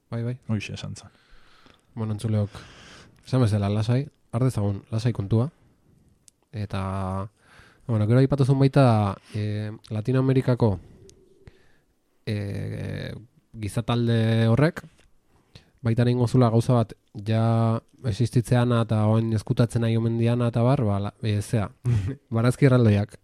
Bai. Hoxe esan zan. Bueno, entzuleok, esan bezala lasai, ardezagun lasai kontua. Eta, bueno, gero aipatu zuen baita Latinoamerikako gizatalde horrek, baita nehin gozula gauza bat, ja existitzean eta oen eskutatzen nahi omen diana eta bar, barazki erraldoiak.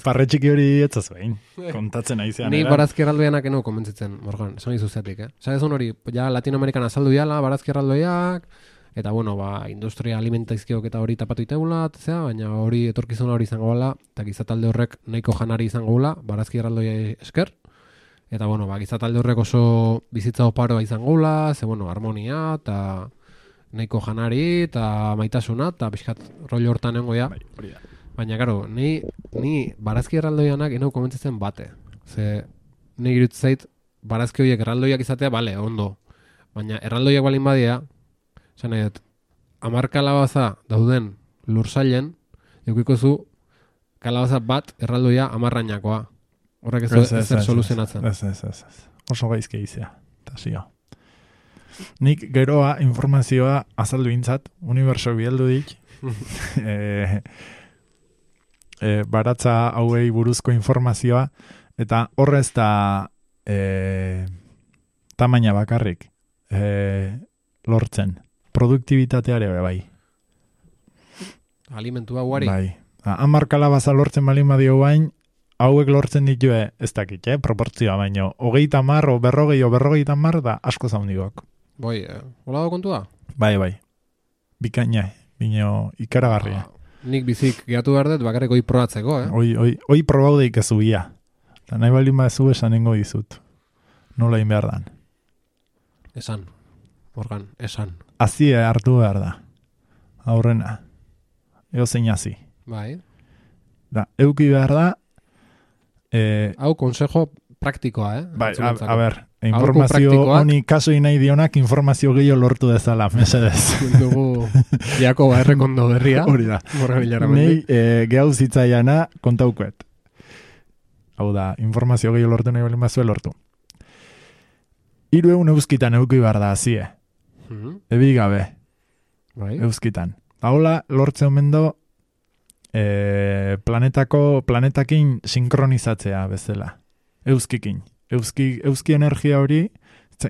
Parretxiki hori etzaz behin, kontatzen nahi zean. Ni barazki erraldoianak eno komentzitzen, Morgan, esan izuzetik, Zagezun hori, ja Latinoamerikan azaldu diala, barazki erraldoiak, eta bueno, industria alimentaizkiok eta hori tapatu iteula, baina hori etorkizuna hori izango bala, eta gizatalde horrek nahiko janari izango bala, barazki erraldoia esker, eta bueno, gizatalde horrek oso bizitza oparoa izango bala, bueno, harmonia, eta nahiko janari, eta maitasuna, eta pixkat rollo hortan nengoia. Baina, karo, ni barazki erraldoianak enau komentzitzen bate. Ni irutzait, barazki horiek erraldoiak izatea, bale, ondo. Baina erraldoiak balin badia, esan edo, 10 kalabaza dauden lursailen, eukiko zu kalabaza bat erraldoia 10rainakoa. Horrek ez zer soluzionatzen. Ez. Oso gaizke izea. Eta zio. Nik geroa informazioa azaldu intzat, uniberso bialdu dik, baratza hauei buruzko informazioa, eta horrez da tamaina bakarrik lortzen. Produktibitateare bai. Alimentua guari. Bai. 10 kalabaza lortzen balin badio bain, hauek lortzen ditue, ez dakit, proportzioa baino. 30 o 40 o 50 da asko zaundigok. Boi, hola da kontua? Bai. Bikaina, bino ikaragarria. Nik bizik gehatu behar dut, bakarrik oi probatzeko, Oi probaudeik ez ubia. Eta nahi balin badezu esanengo dizut. Nola in behar dan. Esan. Morgan, esan. Azie hartu behar da. Aurrena. Ego zein hazi. Bai. Da, euki behar da. Hau consejo praktikoa, Bai, a ber, informazio honi kasoi nahi dionak informazio gehiago lortu dezala, mesedez. Dugu Jakoba errekondo berria. Hori da. Nei gehau zitzaiana kontaukuet. Hau da, informazio gehiago lortu nahi balin bazue lortu. 300 euskitan euki behar da hazie. Ebi gabe. Bai. Euskitan. Haula lortzen mendo planetakin sinkronizatzea bezala. Euskikin. Euski energia hori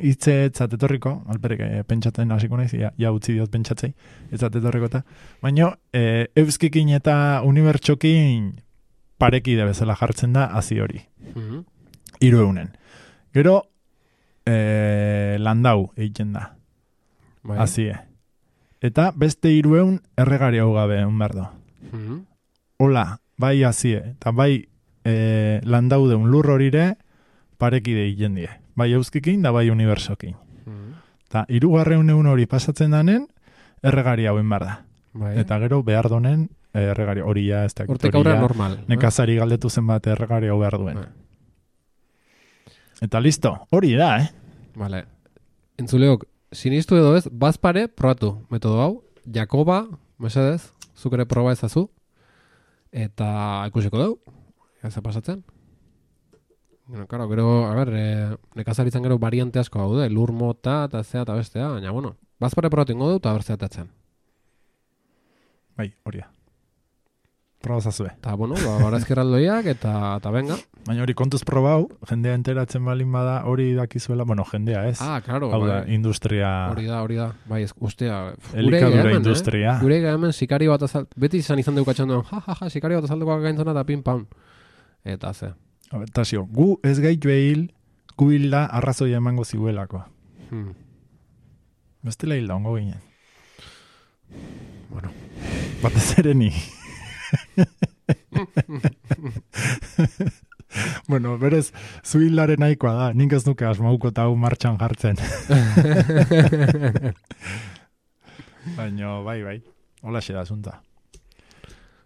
hitze etzatetorriko, alperek pentsatzen hasiko naiz, ja utzi diot pentsatzei, etzatetorriko eta, baina euskikin eta unibertsokin parekide bezala jartzen da hazi hori. 300. Gero landau egiten da. Hazie. Eta beste 300 erregari hau gabe behar do. Hola, bai hazie, eta bai landau deun lur horire parekide egiten die. Bai euskikin da bai unibersokin. Eta 300 hori pasatzen danen erregari hauen behar da. Eta gero behar donen erregari hori ja ez dakit. Hortek aurra normal. Nekazari galdetu zen bat erregari hau behar duen. Eta listo, hori da, Vale. Entzuleok, sinistu edo ez, bazpare probatu metodo hau, Jakoba, mesedez, zuk ere proba ezazu, eta ikusiko dugu, ez pasatzen. Bueno, claro, gero, a ber, nekazaritzan gero variante asko daude, lur mota, eta zea, eta bestea, baina, bueno, bazpare probatu ingo dugu, eta berzeatatzen. Bai, hori da. Proba zazue. Eta, bueno, barazkerraldoiak, eta venga. Baina hori kontuz probau, jendea enteratzen balin bada hori dakizuela, bueno, jendea ez. Claro. Hau da, industria... Hori da. Bai, ustea. Elikadura industria. Gure hemen sikari bat beti izan deukatxan duen, sikari bat azalduko gaintzona eta pin-pam. Eta ze. Eta zio, gu ez gaitu ehil, gu hilda arrazoia emango ziuelako. Bestela hilda ongo ginen. Bueno. Batez ere ni. Bueno, berez, zuhilaren nahikoa da, nik ez nuke asmauko eta hau martxan jartzen. Baina, bai, hola xe da zunta.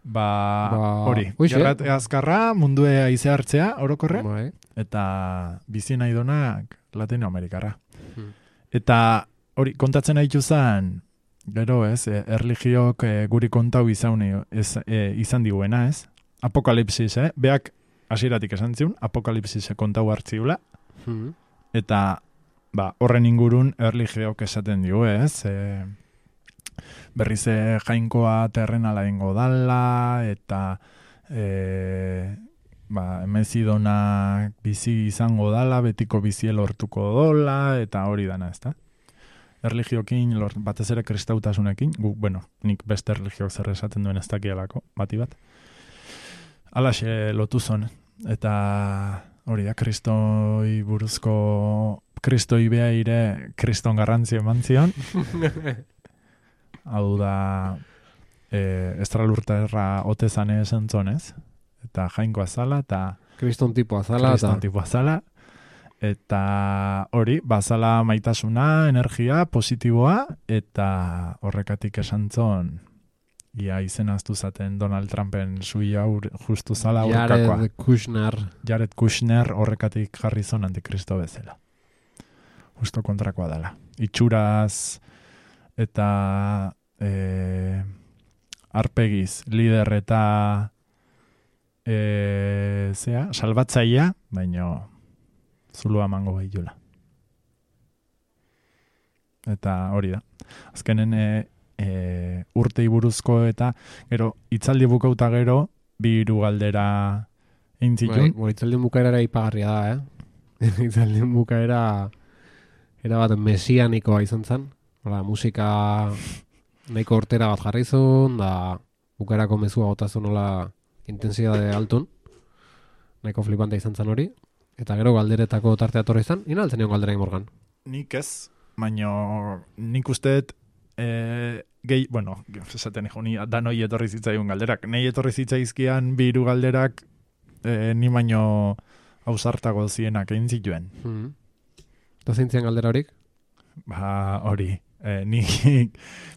Hori, gerrat azkarra, mundue aize hartzea, orokorre, eta bizi nahi donak Latinoamerikarra. Eta hori, kontatzen haitu zen, gero ez, erligiok guri kontau izan diguena ez, apokalipsis, beak hasieratik esan ziun, apokalipsis kontau hartziula, eta horren ingurun erligiok esaten digu ez, berriz jainkoa terrenala ingo dala, eta emezidonak bizi izango dala, betiko bizi lortuko dola, eta hori dana ez da. Erligiokin, batez ere kristautasunekin, nik beste erligiok zer esaten duen ez dakialako, bati bat. Alaxe lotu zon, eta hori da, kristoi buruzko, kristoi beha ire, kriston garrantzio eman zion. Hau da, estralurterra otezane esan zonez, eta jainko azala, eta kriston tipo azala, eta hori, bazala maitasuna, energia, positiboa, eta horrekatik esan zon, ia izen aztu zaten Donald Trumpen sui justu zala aurkakoa. Jared Kushner horrekatik jarri zon antikristo bezala. Justo kontrakoa dela. Itxuraz eta arpegiz, lider eta salbatzaia, baina zulua mango behitula. Eta hori da. Azkenen urtei buruzko eta gero itzaldi bukauta gero bi hiru galdera egin zituen. Itzaldien bukaera ipagarria da, Itzaldien bukaera era bat mesianikoa izan zen. Musika nahiko hortera bat jarri zuen, da bukaerako mezua gotazun nola intensidade altun. Nahiko flipante izan zen hori. Eta gero galderetako tartea torre izan, ina altzen nion galdera Morgan? Nik ez, baina nik usteet esaten ni danoi etorri zitzaigun galderak. Nei etorri zitzaizkian bi hiru galderak ni baino ausartago zienak egin zituen. Eta zeintzian galdera horik? Hori. Ni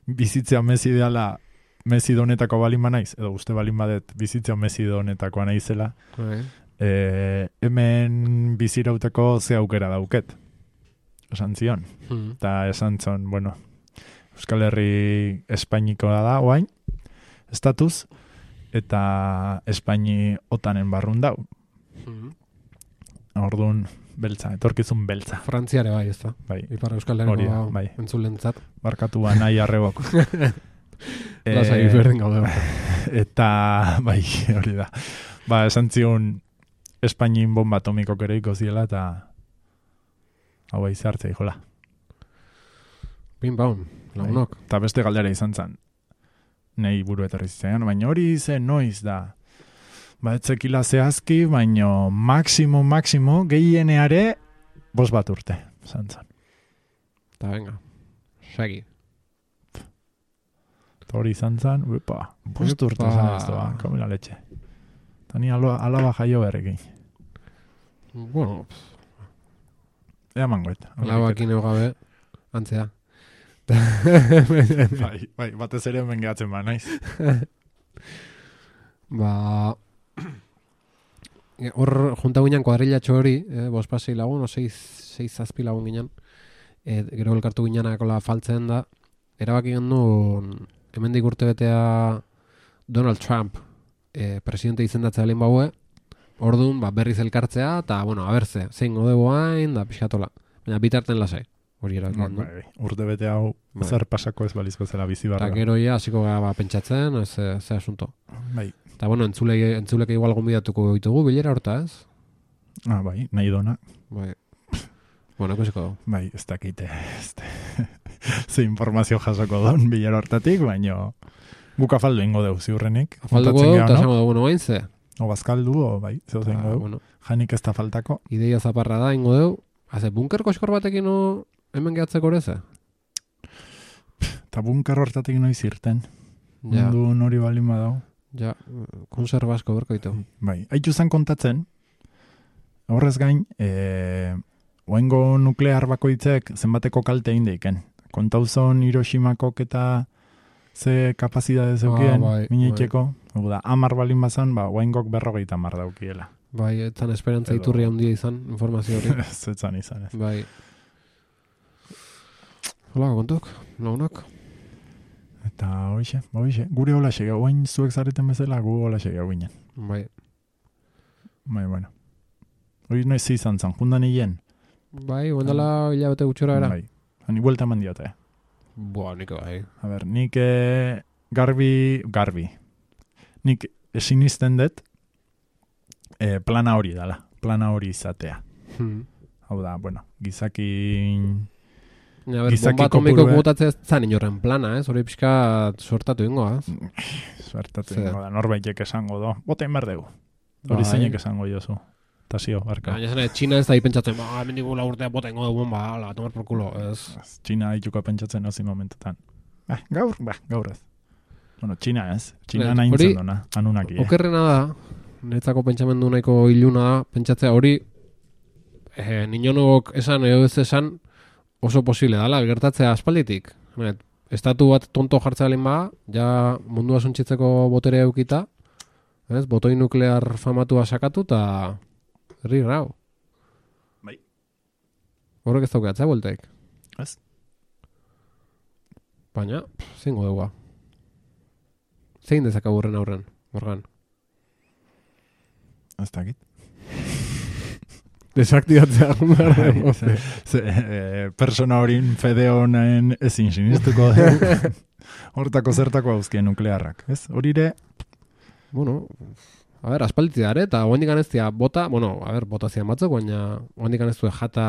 bizitzea Messi ideala Messi donetako balin naiz, edo uste balin badet bizitzea Messi donetakoa naizela. Hemen bizirauteko ze aukera dauket. Esan zion. Eta esan zion, Euskal Herri Espainikoa da, oain, estatuz, eta Espaini otanen barrun dau. Orduan, beltza, etorkizun beltza. Frantziare bai, ez da. Bai. Ipar Euskal Herriko bai. entzulentzat. Barkatu nahi arrebok. Lasai berden gaude. Eta, bai, hori da. Esan zion Espainin bomba atomiko kereiko ziela, eta hau bai zehartzea, jola. Pim baun, lagunok. Eta beste galdera izan zen. Nei buru etorri zitzen, baina hori zen noiz da. Etzekila zehazki, baina maximo, gehieneare 5 urte, zantzan. Eta venga, segi. Eta hori zantzan, 5 urte zan ez doa, komila letxe. Eta ni alaba jaio berrekin. Bueno, ea mangoet. Alabakin gabe, antzea. Bai, batez ere hemen gehatzen naiz. Hor junta ginen kuadrillatxo hori, 5-6 lagun, 6-7 lagun ginen, gero elkartu ginenakola faltzen da, erabaki gendu hemendik urte betea Donald Trump presidente izendatzea lehen baue, orduan berriz elkartzea, eta, abertze, zein godego hain, da pixatola. Baina bitarten lasai, hori erabaki gendu. Urte bete hau, zer pasako ez balizko zela bizi barra. Eta gero hasiko gara pentsatzen, ze asunto. Bai. Eta entzuleke igual gonbidatuko ditugu bilera horta, ez? Bai, nahi dona. Bai. Ikusiko du. Bai, ez dakite. Ze informazio jasoko daun bilera hortatik, baina guk afaldu ingo deu, ziurrenik. Afalduko deu, eta zango dugu, hain ze? O bazkaldu, bai, zeu zengo deu. Janik ez da faltako. Ideia zaparra da, ingo deu. Haze, bunker koskor batekin hemen gehatzeko horreze? Eta bunker hortatik noiz irten. Mundu nori balin badau. Ja, konserba asko berko ditu. Bai, haitu zen kontatzen, horrez gain, oaingo nuklear bakoitzek zenbateko kalte egin deiken. Kontauzon Hiroshimakok eta ze kapazidade zeukien, mineiteko. Da, 10 balin bazan, oaingok 50 daukiela. Bai, etzan esperantza iturria handia izan, informazio hori. Zetzan izan, ez. Bai. Hola, kontuk, lagunak. Eta hoxe, gure hola segeu, oain zuek zareten bezala, gu hola segeu ginen. Bai. Bueno. Hori noiz izan zan, jundan hien? Bai, guendala hilabete gutxora era. Bai, hani buelta eman diote. Nik bai. A ber, nik garbi. Nik esinisten dut plana hori dala, plana hori izatea. Hau da, gizakin... Bomba atomiko botatzea zan inorren plana, hori pixka sortatu ingo, Sortatu ingo da, norbaitek esango do. Botein berdegu. Hori zeinek esango jozu. Tasio, barka. Txina ez da ipentsatzen, hemen digu urtea botein ingo du, tomar por culo. Txina dituko pentsatzen ozi momentetan. Gaur ez. Txina ez. Txina nahi intzen duna, anunaki. Okerrena da, netzako pentsamendu nahiko iluna da, pentsatzea hori, ninonok esan edo ez esan, oso posible dala, gertatzea aspalditik. Estatu bat tonto jartzea lehen ja mundua suntxitzeko botere eukita, botoi nuklear famatua sakatu, eta herri grau. Bai. Horrek ez daukatzea bueltaik. Ez? Baina, zein godegua. Zein dezakagurren aurren, Morgan? Ez dakit. Desaktibatzea persona horin fede honen ezin sinistuko hortako zertako hauzkien nuklearrak, ez? Horire... Bueno, a ver, aspalditik dara, eta oendik aneztia bota, bueno, a ver, botazioan batzuk, baina oendik aneztu jata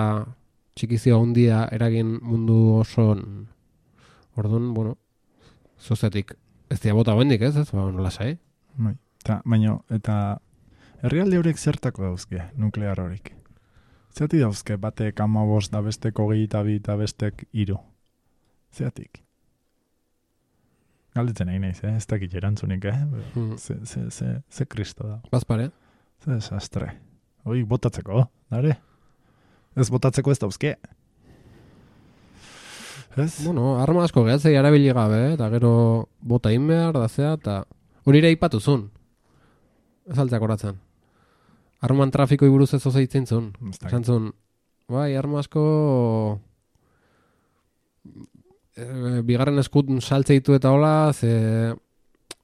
txikizio handia eragin mundu oson, orduan, bueno, zozetik, ez dira bota oendik, ez? Bueno, lasai. Baina, eta herrialde horiek zertako dauzke, nuklear horik? Zerti dauzke, batek 15 da bestek 22 da bestek 3. Zeratik? Galdetzen nahi naiz, ez dakit erantzunik, Ze kristo da. Bazpare? Ze desastre. Hoi, botatzeko, dare? Ez botatzeko ez dauzke. Ez? Bueno, arma asko gehatzei arabili gabe, eta gero bota inbehar, da zea, eta hori ere ipatuzun. Ez altzak horatzen. Arman trafikoi buruz ez oza hitzen zuen. Esan zuen, bai, arma asko bigarren eskut saltze ditu eta hola, ze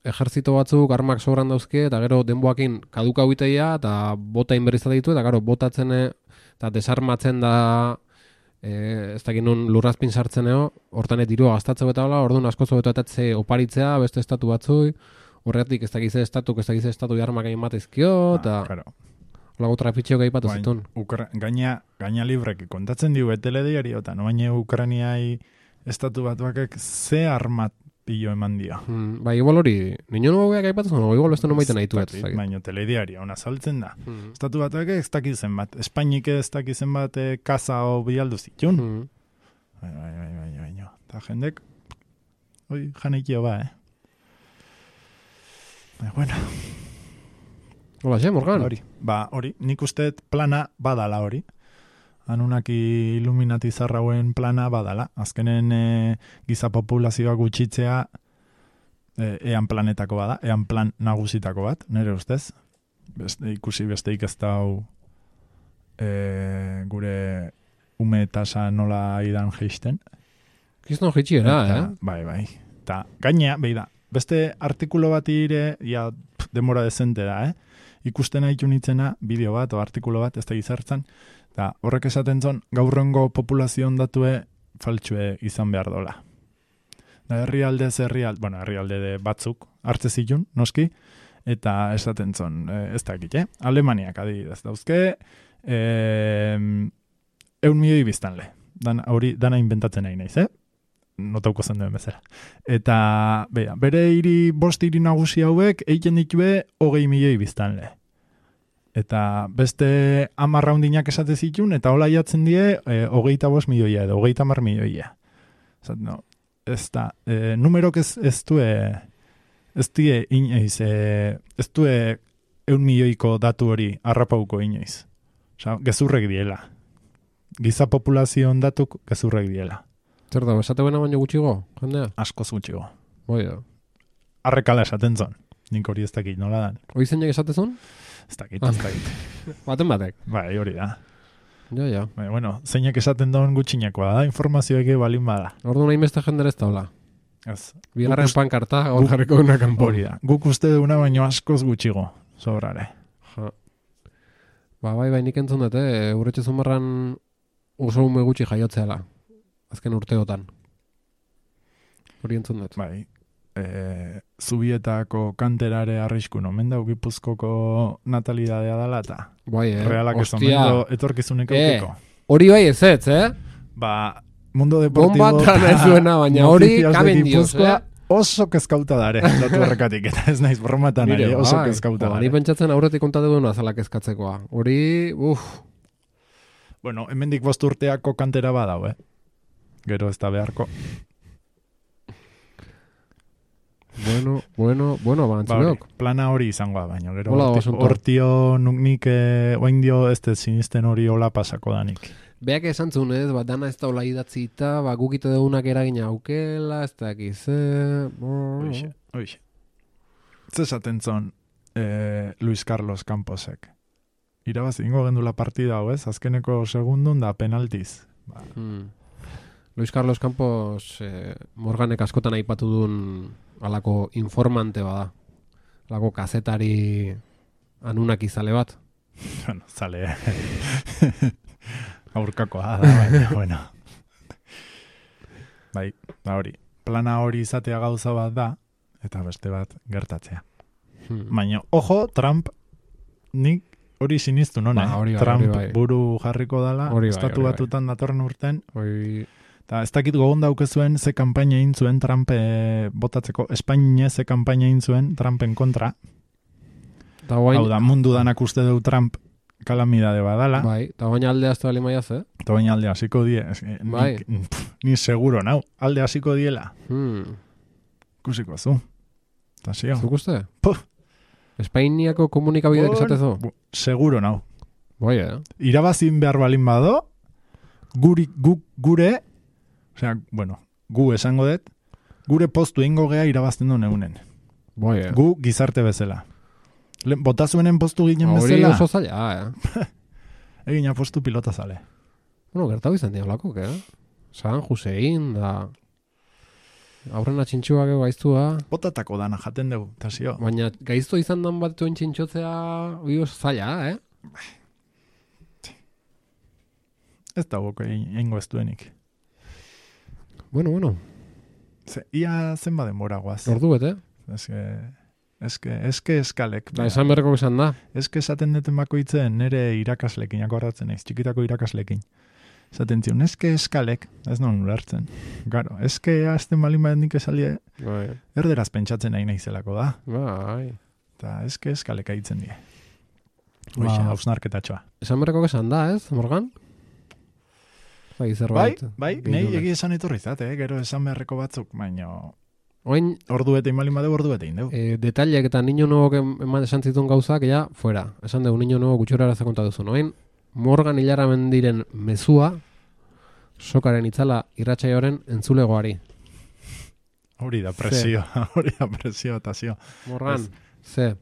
ejerzito batzuk armak sobran dauzke, eta gero denboakin kaduka huiteia, eta bota inberrizat ditu, eta gero botatzen eta desarmatzen da ez dakit nun lurrazpin sartzeneo, hortan dirua gastatzeko eta hola, orduan asko zobetuetatze oparitzea, beste estatu batzui, horretik ez dakize estatu jarmak egin batezkio, eta holago trafitxeo gaipatu zitun. Gaina librek kontatzen diu betelediari, eta no baina Ukrainiai estatu batuakek ze armat pillo eman dio. Ba, igual hori, nino nugu gaipatu zuen, igual beste nomaiten nahi tuet. Baina telediaria, ona saltzen da. Estatu batuakek ez dakizen bat, Espainik ez dakizen bat kaza o bialdu zitun. Baina, eta jendek, hoi, janeikio ba, Bueno. Hola, Morgan. Hori, nik usteet plana badala hori. Anunaki Illuminati zarrauen plana badala. Azkenen giza populazioa gutxitzea ean planetako bada, ean plan nagusitako bat, nire ustez. Ikusi besteik ez dau gure ume tasa nola idan geisten. Gizton jeitxiera, Bai. Ta gaina, beida, beste artikulo bat ire, ja, demora dezente da, ikusten haitu nitzena, bideo bat o artikulo bat, ez da gizartzen, eta horrek esaten zon, gaurrengo populazioan datue faltsue izan behar dola. Da herrialde de batzuk, hartze zitun, noski, eta esaten zon, ez dakit, Alemaniak adibidez dauzke, 100 milioi biztanle. Dana inventatzen nahi naiz, notauko zen duen bezala. Eta, bere bost hiri nagusi hauek, egiten ditue 20 milioi biztanle. Eta beste 10 raundinak esate zitun, eta hola jatzen die 25 milioia edo 30 milioia. Zat, no, ez da, numerok ez due inoiz, ez due 1 milioiko datu hori harrapauko inoiz. Osa, gezurrek diela. Giza populazioan datuk gezurrek diela. Zer da, esate buena baino gutxigo, jendea? Askoz gutxigo. Bai da. Arrekala esaten zon. Nik hori ez dakit, nola dan. Hoi zeinak esatezun? Ez dakit. Baten batek? Bai, hori da. Ja. Bai, bueno, zeinak esaten daun gutxinekoa da, informazioek balin bada. Ordu nahi beste jendera ez daula. Ez. Bigarren pankarta, hor jarriko duna kanpo. Hori da. Guk uste duna baino askoz gutxigo, sobrare. Bai, nik entzun dut, urretxe zumarran oso ume gutxi jaiotzeala. Azken urteotan. Hori entzun dut. Bai. Zubietako kanterare arriskun omen da, Gipuzkoko natalidadea dela eta bai, realak ez omen etorkizunek aukiko. Hori bai ez, Ba, Mundo Deportivo bombatan ez duena, baina hori kamen dios, oso kezkauta dare, datu horrekatik, eta ez naiz bromatan ari, oso kezkauta dare. Ni pentsatzen aurretik kontatu duena azala kezkatzekoa. Hori, Bueno, hemendik 5 urteako kantera badau, Gero ez da beharko. Bueno, bantzunok. Plana hori izangoa, baina gero hortio nik oain dio ez sinisten hori hola pasako danik. Beak esan zuen, dana ez da hola idatzita, gukite dugunak eragina aukela, ez da ekiz, Oixe. Zesaten zon Luis Carlos Camposek. Irabaz ingo gendula partida hau, azkeneko segundun da penaltiz. Luis Carlos Campos Morganek askotan aipatu duen alako informante bada. Alako kazetari anunak izale bat. Bueno, zale. Aurkakoa da, baina, bueno. Bai, da hori. Plana hori izatea gauza bat da, eta beste bat gertatzea. Baina, ojo, Trump, nik hori siniztu nona. Trump bai. Buru jarriko dala, estatu batutan datorren urten. Eta ez dakit gogon daukezuen ze kanpaina egin zuen Trump botatzeko, Espainia ze kanpaina egin zuen Trumpen kontra. Hau da, mundu danak uste du Trump kalamidade badala. Bai, eta baina alde azte bali maiaz, Eta baina alde hasiko die. Bai. Ni seguro, nau. Alde hasiko diela. Kusiko zu. Eta zio. Zuk uste? Espainiako komunikabidek esatezo? Seguro, nau. Bai, Irabazin behar balin bado, gure, osea, bueno, gu esango dut, gure postu ingo gea irabazten du neunen. Bai, Gu gizarte bezala. Botazuenen postu ginen bezala. Hori oso zaila, Egina postu pilota zale. Bueno, gertau izan diablako, San Josein, da... Aurrena txintxuak gaiztua. Botatako dana jaten dugu, eta zio. Baina gaiztu izan dan bat duen txintxotzea, hori oso zaila, Ez da boko eingo ez duenik. Bueno. Ia zenba denbora guaz. Ordu bete. Eske eskalek. Da, esan berreko esan da. Eske esaten deten bakoitzen nire irakaslekin, akordatzen naiz, txikitako irakaslekin. Esaten zion, eske eskalek, ez non ulertzen. Garo, eske azten balin bat nik esalie, erderaz pentsatzen nahi naizelako da. Bai. Eta eske eskalek aitzen die. Hoxe, hausnarketatxoa. Esan berreko esan da, ez, Morgan? Bai, nahi egi esan etorri zate, gero esan beharreko batzuk, baina... Oin, ordu bete inbalin badeu, ordu bete indeu. Detallek eta niño nuevok esan zituen gauzak, ja, fuera. Esan dugu, niño nuevo gutxora zakonta duzu. Oin, Morgan hilara mendiren mezua, sokaren itzala irratsaioaren entzulegoari. Hori da presio, eta zio. Morgan, ze?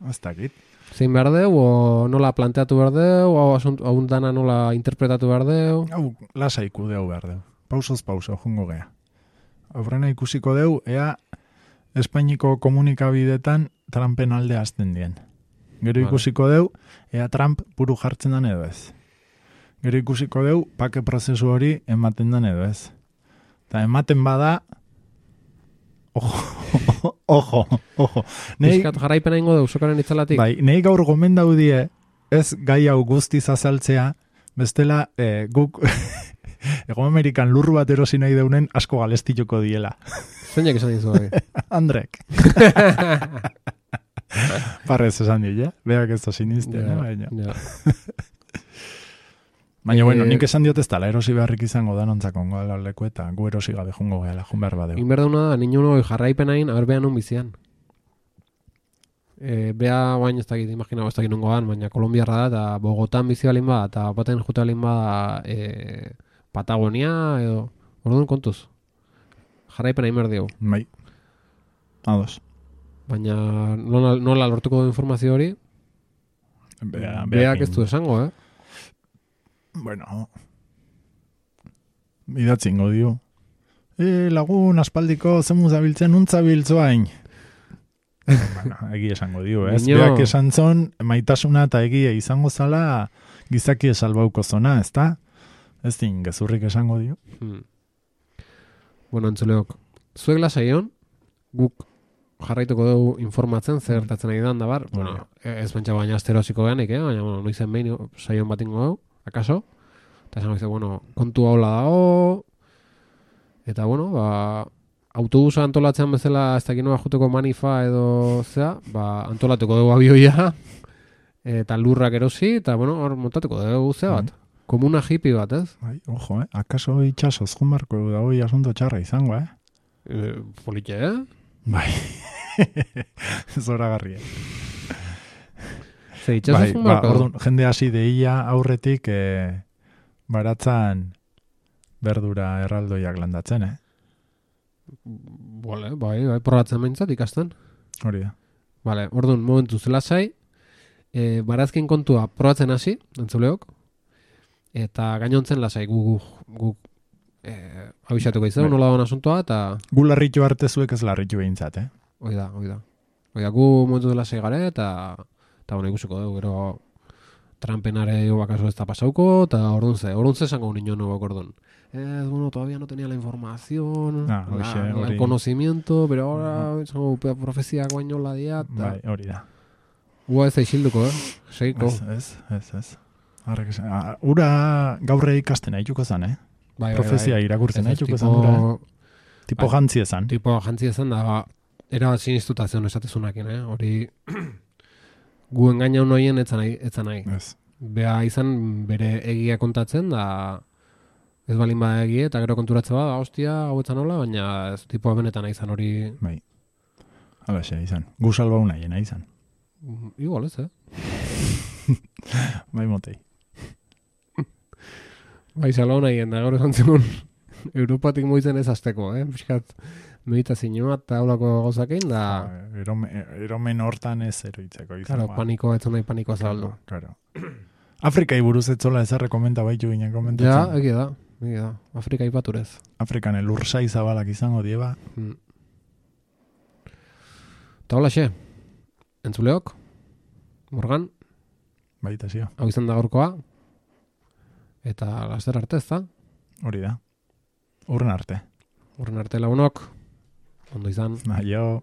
Ez dakit. Zein behar deu, o nola planteatu behar deu, o hau dana nola interpretatu behar deu? Hau, lasa ikudeu behar deu. Pausoz pauso, jungo gea. Aurrena ikusiko deu, ea Espainiko komunikabidetan Trumpen alde azten dien. Gero ikusiko deu, ea Trump buru jartzen dan edo ez. Gero ikusiko deu, pake prozesu hori ematen dan edo ez. Eta ematen bada, ojo. Piskat jarraipena ingo deu, sokaren itzalatik. Bai, nahi gaur gomendau die, ez gai hau guztiz azaltzea, bestela guk... Ego Amerikan lurru bat erosi nahi deunen asko galestituko diela. Zeinak esan dizu, Andrek. Parrez esan dira, beak ez da sinizte. Baina, bueno, nik esan diot ez tala, erosi beharrik izango da nontzako ongo leku eta gu erosi gabe jungo gehala, jun behar badeu. Inberdauna da, niño no jarraipen hain, aber behan un bizian. Bea bain ez dakit, imagina ez dakit nongoan, baina Kolombiarra da, eta Bogotan bizi balin ba, eta baten jute balin ba, Patagonia edo orduan kontuz. Jarraipena inber digu. Bai. Ados. Baina nola lortuko du informazio hori? Beak ez du esango, Bueno. Idatzingo dio. Lagun aspaldiko zemu zabiltzen untzabiltzoain. Bueno, egi esango dio, ez? Beak esan zon, maitasuna eta egia izango zala gizaki esalbauko zona, ez da? Ez din, gezurrik esango dio. Bueno, entzuleok, zuek lasaion, guk jarraituko dugu informatzen, zer gertatzen nahi dan da bar. Bueno, ez pentsa baina asterosiko geanik, baina, bueno, noizen behin saion bat ingo dugu, akaso? Eta esan goizte, bueno, kontu haula dago, eta, bueno, autobusa antolatzean bezala ez dakit noa juteko manifa edo zea, antolatuko dugu abioia, eta lurrak erosi, eta, bueno, hor montatuko dugu zea bat. Komuna hippie bat, ez? Bai, ojo, akaso itxasoz junbarko da hoi asunto txarra izango, Politxe, Bai. Zoragarria. Ze itxasoz junbarko? Orduan, jende hasi deia aurretik baratzan berdura erraldoiak landatzen, Bai, probatzen behintzat ikasten. Hori da. Vale, orduan, momentu zela zai, barazkin kontua probatzen hasi, entzuleok, eta gainontzen lasai guk abisatuko izan, nola doan asuntoa, eta... Gu larritu arte zuek ez larritu behintzat, Hoi da. Gu momentu dela segare, eta bueno, ikusiko dugu, gero Trumpenare bakaso ez da pasauko, eta orduan ze esango niño nuevo cordón. Bueno, todavía no tenía la información, el conocimiento, pero ahora profezia guaino la dia. Bai, hori da. Ua ez aixilduko, Seiko. Ez. Ura gaurre ikasten haituko zan, Bai, profezia irakurtzen haituko zan, ura. Tipo jantzi ezan. Tipo jantzi ezan, da, era sinistutazion esatezunakin, hori gu engaina honoien etzan nahi. Ez. Bea izan bere egia kontatzen, da ez balin ba egie, eta gero konturatze ba, hostia, hau etzan hola, baina ez tipoa benetan izan hori... Bai. Alaxe, izan. Gu salba unaien, izan. Igual ez, Bai motei. Bai salba unaien, da gaur esan zigun Europatik moitzen ez azteko, Piskat, meditazioa eta haulako gauzakein, da... Eromen hortan ez eroitzeko izan. Claro, paniko, ez nahi panikoa zabaldu. Claro. Afrikai buruz etzola ezarre komenta baitu ginen komentatzen. Ja, egia da. Afrika ipaturez. Afrikan elursai zabalak izango dieba. Eta hola xe, entzuleok, Morgan. Baita zio. Hau izan da gaurkoa. Eta laster arte ez da. Hori da. Urren arte lagunok. Ondo izan. Aio.